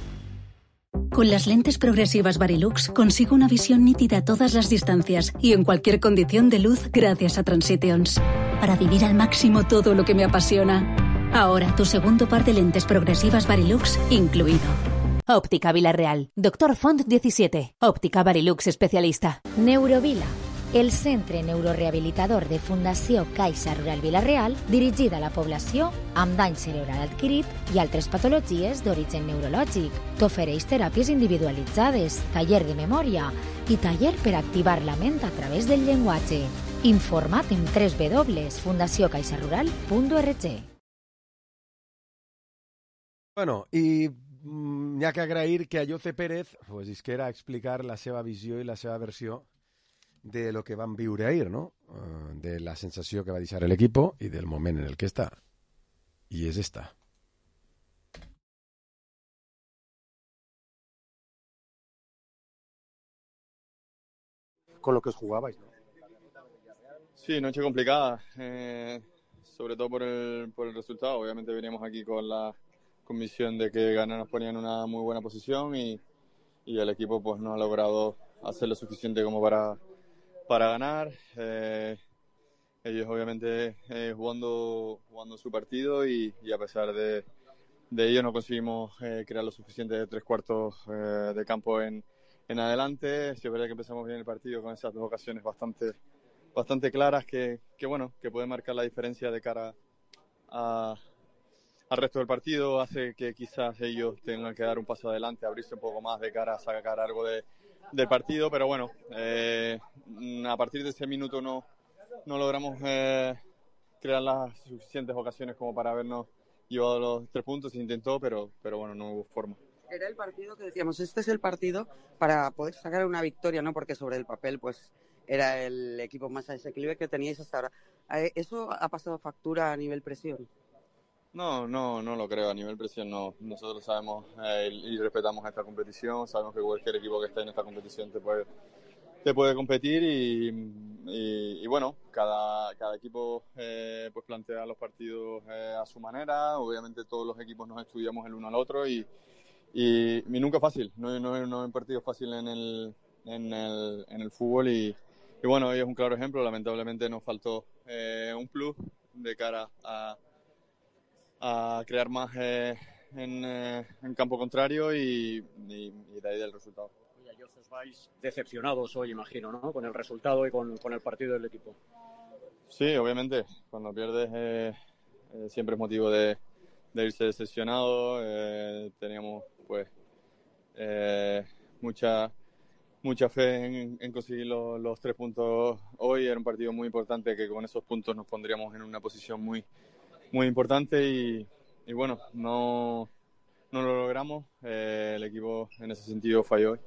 Con las lentes progresivas Varilux consigo una visión nítida a todas las distancias y en cualquier condición de luz gracias a Transitions. Para vivir al máximo todo lo que me apasiona. Ahora tu segundo par de lentes progresivas Varilux incluido.
Óptica Villarreal. Doctor Font diecisiete. Óptica Varilux especialista.
Neurovila, el centre neurorehabilitador de Fundació Caixa Rural Villarreal, dirigida a la població amb dany cerebral adquirit i altres patologies d'origen neurològic. T'ofereix teràpies individualitzades, taller de memòria i taller per activar la ment a través del llenguatge. Informa't en doble u doble u doble u punt fundació caixa rural punt org.
Bueno, i mm, hi ha que agrair que Ayoce Pérez pues, isquera a explicar la seva visió i la seva versió de lo que van viure ahir, ¿no? Uh, de la sensació que va deixar el equipo i del moment en el que està. I és esta.
Con lo que os jugabais, ¿no?
Sí, noche complicada, eh, sobre todo por el, por el resultado. Obviamente veníamos aquí con la convicción de que ganar nos ponía en una muy buena posición y, y el equipo pues no ha logrado hacer lo suficiente como para, para ganar. Eh, ellos obviamente eh, jugando, jugando su partido y, y a pesar de, de ello no conseguimos eh, crear lo suficiente de tres cuartos eh, de campo en, en adelante. Sí, es verdad que empezamos bien el partido con esas dos ocasiones bastante bastante claras que, que bueno que pueden marcar la diferencia de cara a, al resto del partido, hace que quizás ellos tengan que dar un paso adelante, abrirse un poco más de cara a sacar algo de, del partido, pero bueno, eh, a partir de ese minuto no, no logramos eh, crear las suficientes ocasiones como para habernos llevado los tres puntos, se intentó, pero, pero bueno, no hubo forma.
Era el partido que decíamos, este es el partido para poder sacar una victoria, ¿no? Porque sobre el papel, pues, era el equipo más asequible que teníais hasta ahora. ¿Eso ha pasado factura a nivel presión?
No, no, no lo creo. A nivel presión no. Nosotros sabemos eh, y respetamos esta competición. Sabemos que cualquier equipo que esté en esta competición te puede, te puede competir y, y, y bueno, cada, cada equipo eh, pues plantea los partidos eh, a su manera. Obviamente todos los equipos nos estudiamos el uno al otro y, y, y nunca es fácil. No, no, no hay partido fácil en el, en el, en el fútbol y, y bueno, hoy es un claro ejemplo. Lamentablemente nos faltó eh, un plus de cara a a crear más eh, en, eh, en campo contrario y, y, y de ahí del resultado.
Oye, os vais decepcionados hoy, imagino, ¿no? Con el resultado y con, con el partido del equipo.
Sí, obviamente. Cuando pierdes eh, eh, siempre es motivo de, de irse decepcionado. Eh, teníamos pues eh, mucha mucha fe en, en conseguir los, los tres puntos hoy. Era un partido muy importante que con esos puntos nos pondríamos en una posición muy muy importante y, y bueno, no, no lo logramos. Eh, el equipo en ese sentido falló hoy.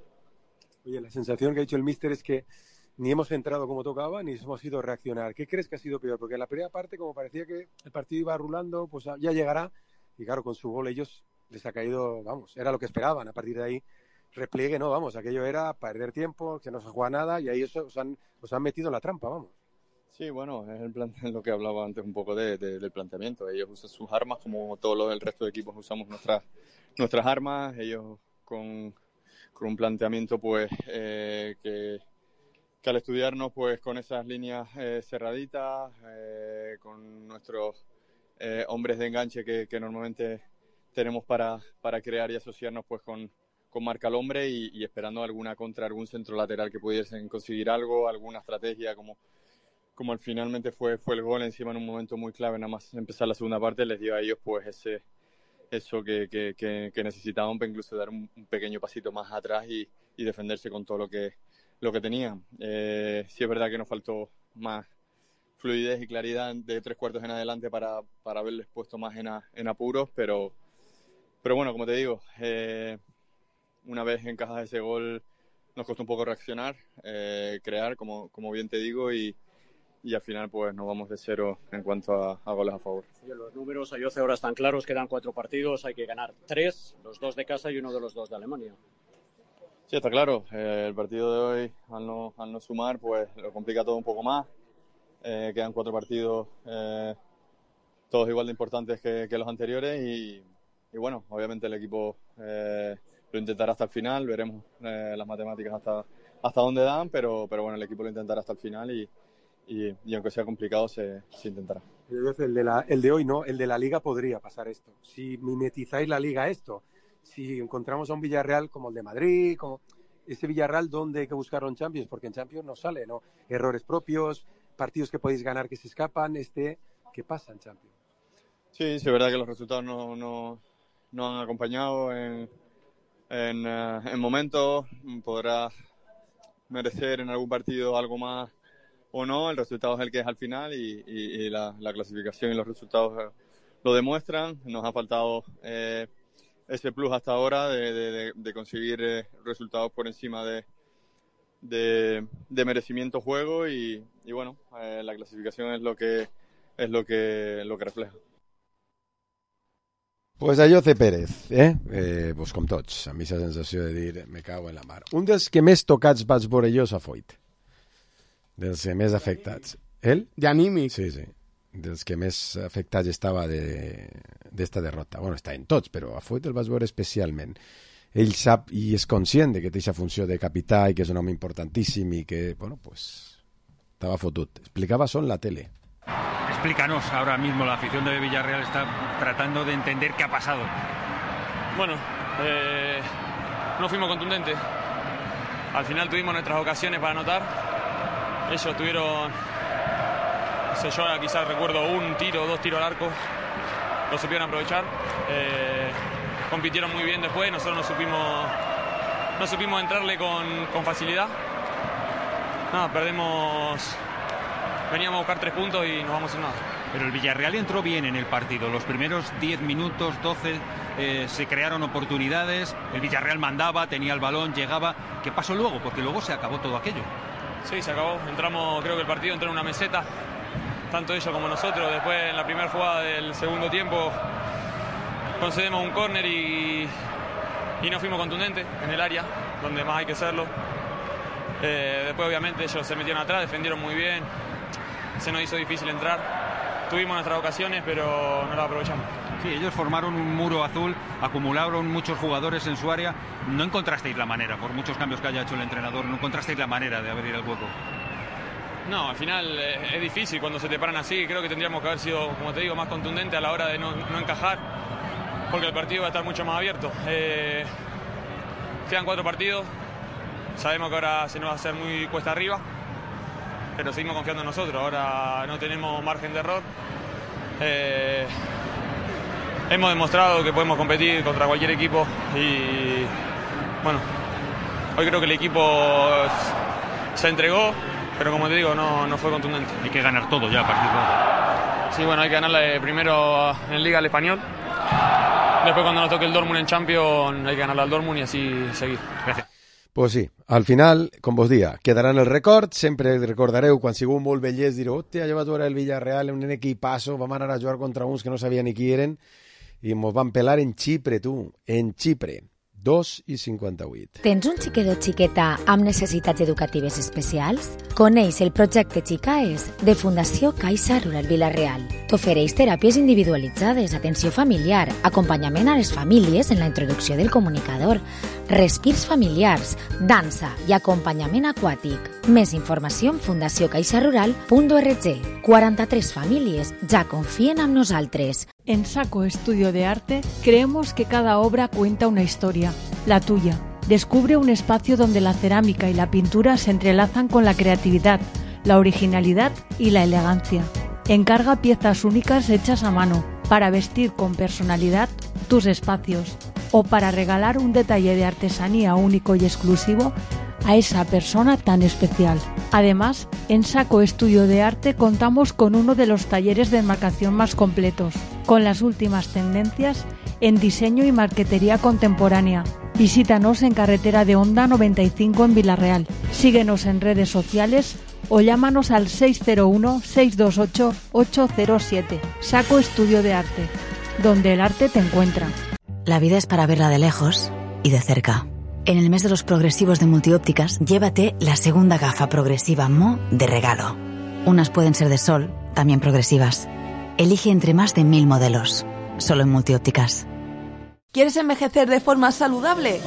Oye, la sensación que ha dicho el míster es que ni hemos entrado como tocaba ni hemos ido a reaccionar. ¿Qué crees que ha sido peor? Porque en la primera parte, como parecía que el partido iba rulando, pues ya llegará. Y claro, con su gol ellos les ha caído, vamos, era lo que esperaban. A partir de ahí, repliegue, no, vamos, aquello era perder tiempo, que no se juega nada y ahí os, os, han, os han metido en la trampa, vamos.
Sí, bueno, es el plan, lo que hablaba antes un poco de, de, del planteamiento. Ellos usan sus armas como todos los del resto de equipos usamos nuestras nuestras armas. Ellos con, con un planteamiento pues eh, que, que al estudiarnos pues con esas líneas eh, cerraditas, eh, con nuestros eh, hombres de enganche que, que normalmente tenemos para, para crear y asociarnos pues con, con marca al hombre y, y esperando alguna contra, algún centro lateral que pudiesen conseguir algo, alguna estrategia como... como finalmente fue, fue el gol encima en un momento muy clave, nada más empezar la segunda parte, les dio a ellos pues ese eso que, que, que, que necesitaban para incluso dar un, un pequeño pasito más atrás y, y defenderse con todo lo que, lo que tenían. Eh, sí es verdad que nos faltó más fluidez y claridad de tres cuartos en adelante para, para haberles puesto más en, a, en apuros, pero, pero bueno, como te digo, eh, una vez encajas ese gol nos costó un poco reaccionar, eh, crear, como, como bien te digo, y y al final pues nos vamos de cero en cuanto a, a goles a favor.
Oye, los números Ayoce ahora están claros, quedan cuatro partidos, hay que ganar tres, los dos de casa y uno de los dos de Alemania.
Sí, está claro, eh, el partido de hoy al no, al no sumar pues lo complica todo un poco más, eh, quedan cuatro partidos eh, todos igual de importantes que, que los anteriores y, y bueno, obviamente el equipo eh, lo intentará hasta el final, veremos eh, las matemáticas hasta, hasta dónde dan, pero, pero bueno, el equipo lo intentará hasta el final y Y, y aunque sea complicado, se, se intentará.
El de, la, el de hoy no, el de la Liga podría pasar esto. Si mimetizáis la Liga esto, si encontramos a un Villarreal como el de Madrid, como ese Villarreal donde hay que buscarlo en Champions, porque en Champions no sale, ¿no? Errores propios, partidos que podéis ganar que se escapan, este, ¿qué pasa en Champions?
Sí, sí, es verdad que los resultados no, no, no han acompañado en, en, uh, en momentos, podrá merecer en algún partido algo más o no, el resultado es el que es al final y, y, y la, la clasificación y los resultados lo demuestran. Nos ha faltado eh, ese plus hasta ahora de, de, de conseguir eh, resultados por encima de, de, de merecimiento juego y, y bueno, eh, la clasificación es lo que es lo que lo que refleja.
Pues Ayoce Pérez, eh? eh pues com tots, amb aquesta sensació de dir me cago en la mar. Un dels que més tocats vaig veure jo és a Foyt. Dels que més afectats. Ell?
D'anímic.
Sí, sí. Dels que més afectats estava d'esta de, derrota. Bueno, està en tots, però a Foyt el vas veure especialment. Ell sap i és conscient de que té aquesta funció de capità i que és un home importantíssim i que, bueno, pues, estava fotut. Explicava això en la tele.
Explícanos, ahora mismo la afición de Villarreal está tratando de entender qué ha pasado.
Bueno, eh, no fuimos contundentes. Al final tuvimos nuestras ocasiones para anotar. Ellos tuvieron, no sé, yo quizás recuerdo un tiro, dos tiros al arco, lo supieron aprovechar, eh, compitieron muy bien después, nosotros no supimos, no supimos entrarle con, con facilidad, nada, perdemos, veníamos a buscar tres puntos y nos vamos sin nada.
Pero el Villarreal entró bien en el partido. Los primeros diez minutos, doce, eh, se crearon oportunidades. El Villarreal mandaba, tenía el balón, llegaba. ¿Qué pasó luego? Porque luego se acabó todo aquello.
Sí, se acabó. Entramos, creo que el partido entró en una meseta, tanto ellos como nosotros. Después, en la primera jugada del segundo tiempo, concedemos un córner y, y no fuimos contundentes en el área, donde más hay que serlo. Eh, después, obviamente, ellos se metieron atrás, defendieron muy bien. Se nos hizo difícil entrar. Tuvimos nuestras ocasiones, pero no las aprovechamos.
Sí, ellos formaron un muro azul, acumularon muchos jugadores en su área. No encontrasteis la manera, por muchos cambios que haya hecho el entrenador, no encontrasteis la manera de abrir el hueco.
No, al final eh, es difícil cuando se te paran así. Creo que tendríamos que haber sido, como te digo, más contundentes a la hora de no, no encajar, porque el partido va a estar mucho más abierto. Eh, quedan cuatro partidos, sabemos que ahora se nos va a hacer muy cuesta arriba, pero seguimos confiando en nosotros. Ahora no tenemos margen de error. Eh, hemos demostrado que podemos competir contra cualquier equipo y bueno, hoy creo que el equipo se entregó, pero como te digo, no, no fue contundente.
Hay que ganar todo ya a partir de ahora.
Sí, bueno, hay que ganarle primero en Liga al Español. Después, cuando nos toque el Dortmund en Champions, hay que ganarle al Dortmund y así seguir. Gracias.
Pues sí, al final, com vos dia, quedarà en el record, sempre recordareu quan sigueu molt vellers, direu, hòstia, jo vaig veure el Villarreal, un equipasso, vam anar a jugar contra uns que no sabia ni qui eren, i mos van pelar en Xipre, tu, en Xipre. dos i cinquanta-vuit.
Tens un xiquet o xiqueta amb necessitats educatives especials? Coneix el projecte Xicaes de Fundació Caixa Rural Vila-real. T'ofereix teràpies individualitzades, atenció familiar, acompanyament a les famílies en la introducció del comunicador, respirs familiars, dansa i acompanyament aquàtic. Més informació en fundació caixa rural punt org. quaranta-tres famílies ja confien en nosaltres.
En Saco Estudio de Arte creemos que cada obra cuenta una historia, la tuya. Descubre un espacio donde la cerámica y la pintura se entrelazan con la creatividad, la originalidad y la elegancia. Encarga piezas únicas hechas a mano para vestir con personalidad tus espacios o para regalar un detalle de artesanía único y exclusivo a esa persona tan especial. Además, en Saco Estudio de Arte contamos con uno de los talleres de enmarcación más completos, con las últimas tendencias en diseño y marquetería contemporánea. Visítanos en Carretera de Honda noventa y cinco en Vila-real. Síguenos en redes sociales o llámanos al seis cero uno, seis dos ocho, ocho cero siete. Saco Estudio de Arte, donde el arte te encuentra.
La vida es para verla de lejos y de cerca. En el mes de los progresivos de Multiópticas, llévate la segunda gafa progresiva Mo de regalo. Unas pueden ser de sol, también progresivas. Elige entre más de mil modelos, solo en Multiópticas.
¿Quieres envejecer de forma saludable?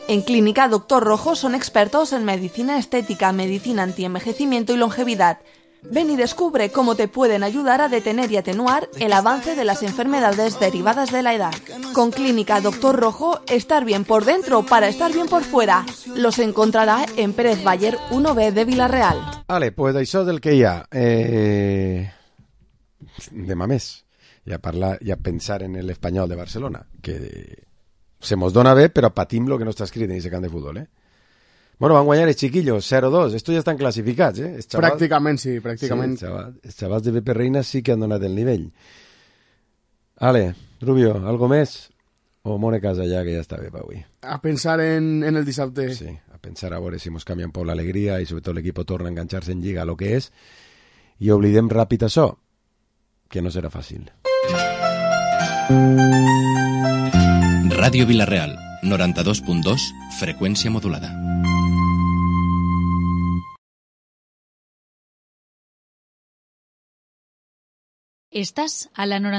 En Clínica Doctor Rojo son expertos en medicina estética, medicina antienvejecimiento y longevidad. Ven y descubre cómo te pueden ayudar a detener y atenuar el avance de las enfermedades derivadas de la edad. Con Clínica Doctor Rojo, estar bien por dentro para estar bien por fuera. Los encontrará en Pérez Bayer uno B de Vila-real.
Vale, pues això del que hi ha. Eh... Demà més. I a, parlar, i a pensar en l'Espanyol de Barcelona, que se mos dona bé, però patim lo que no està escrit en aquest camp de futbol, eh? Bueno, van guanyar els chiquillos, cero dos. Estos ja estan classificats, eh?
Xavals... Pràcticament, sí, pràcticament.
Sí, xavals, els xavals de Pepe Reina sí que han donat el nivell. Ale, Rubio, algo més? O mone casa ja, que ja està bé per avui.
A pensar en, en el dissabte.
Sí, a pensar a veure si mos canvia un poc l'alegria i sobretot l'equip torna a enganxar-se en Lliga, lo que és, i oblidem ràpid això, que no serà fàcil.
Ràdio Vila-real, noranta-dos punt dos, freqüència modulada.
Estás a la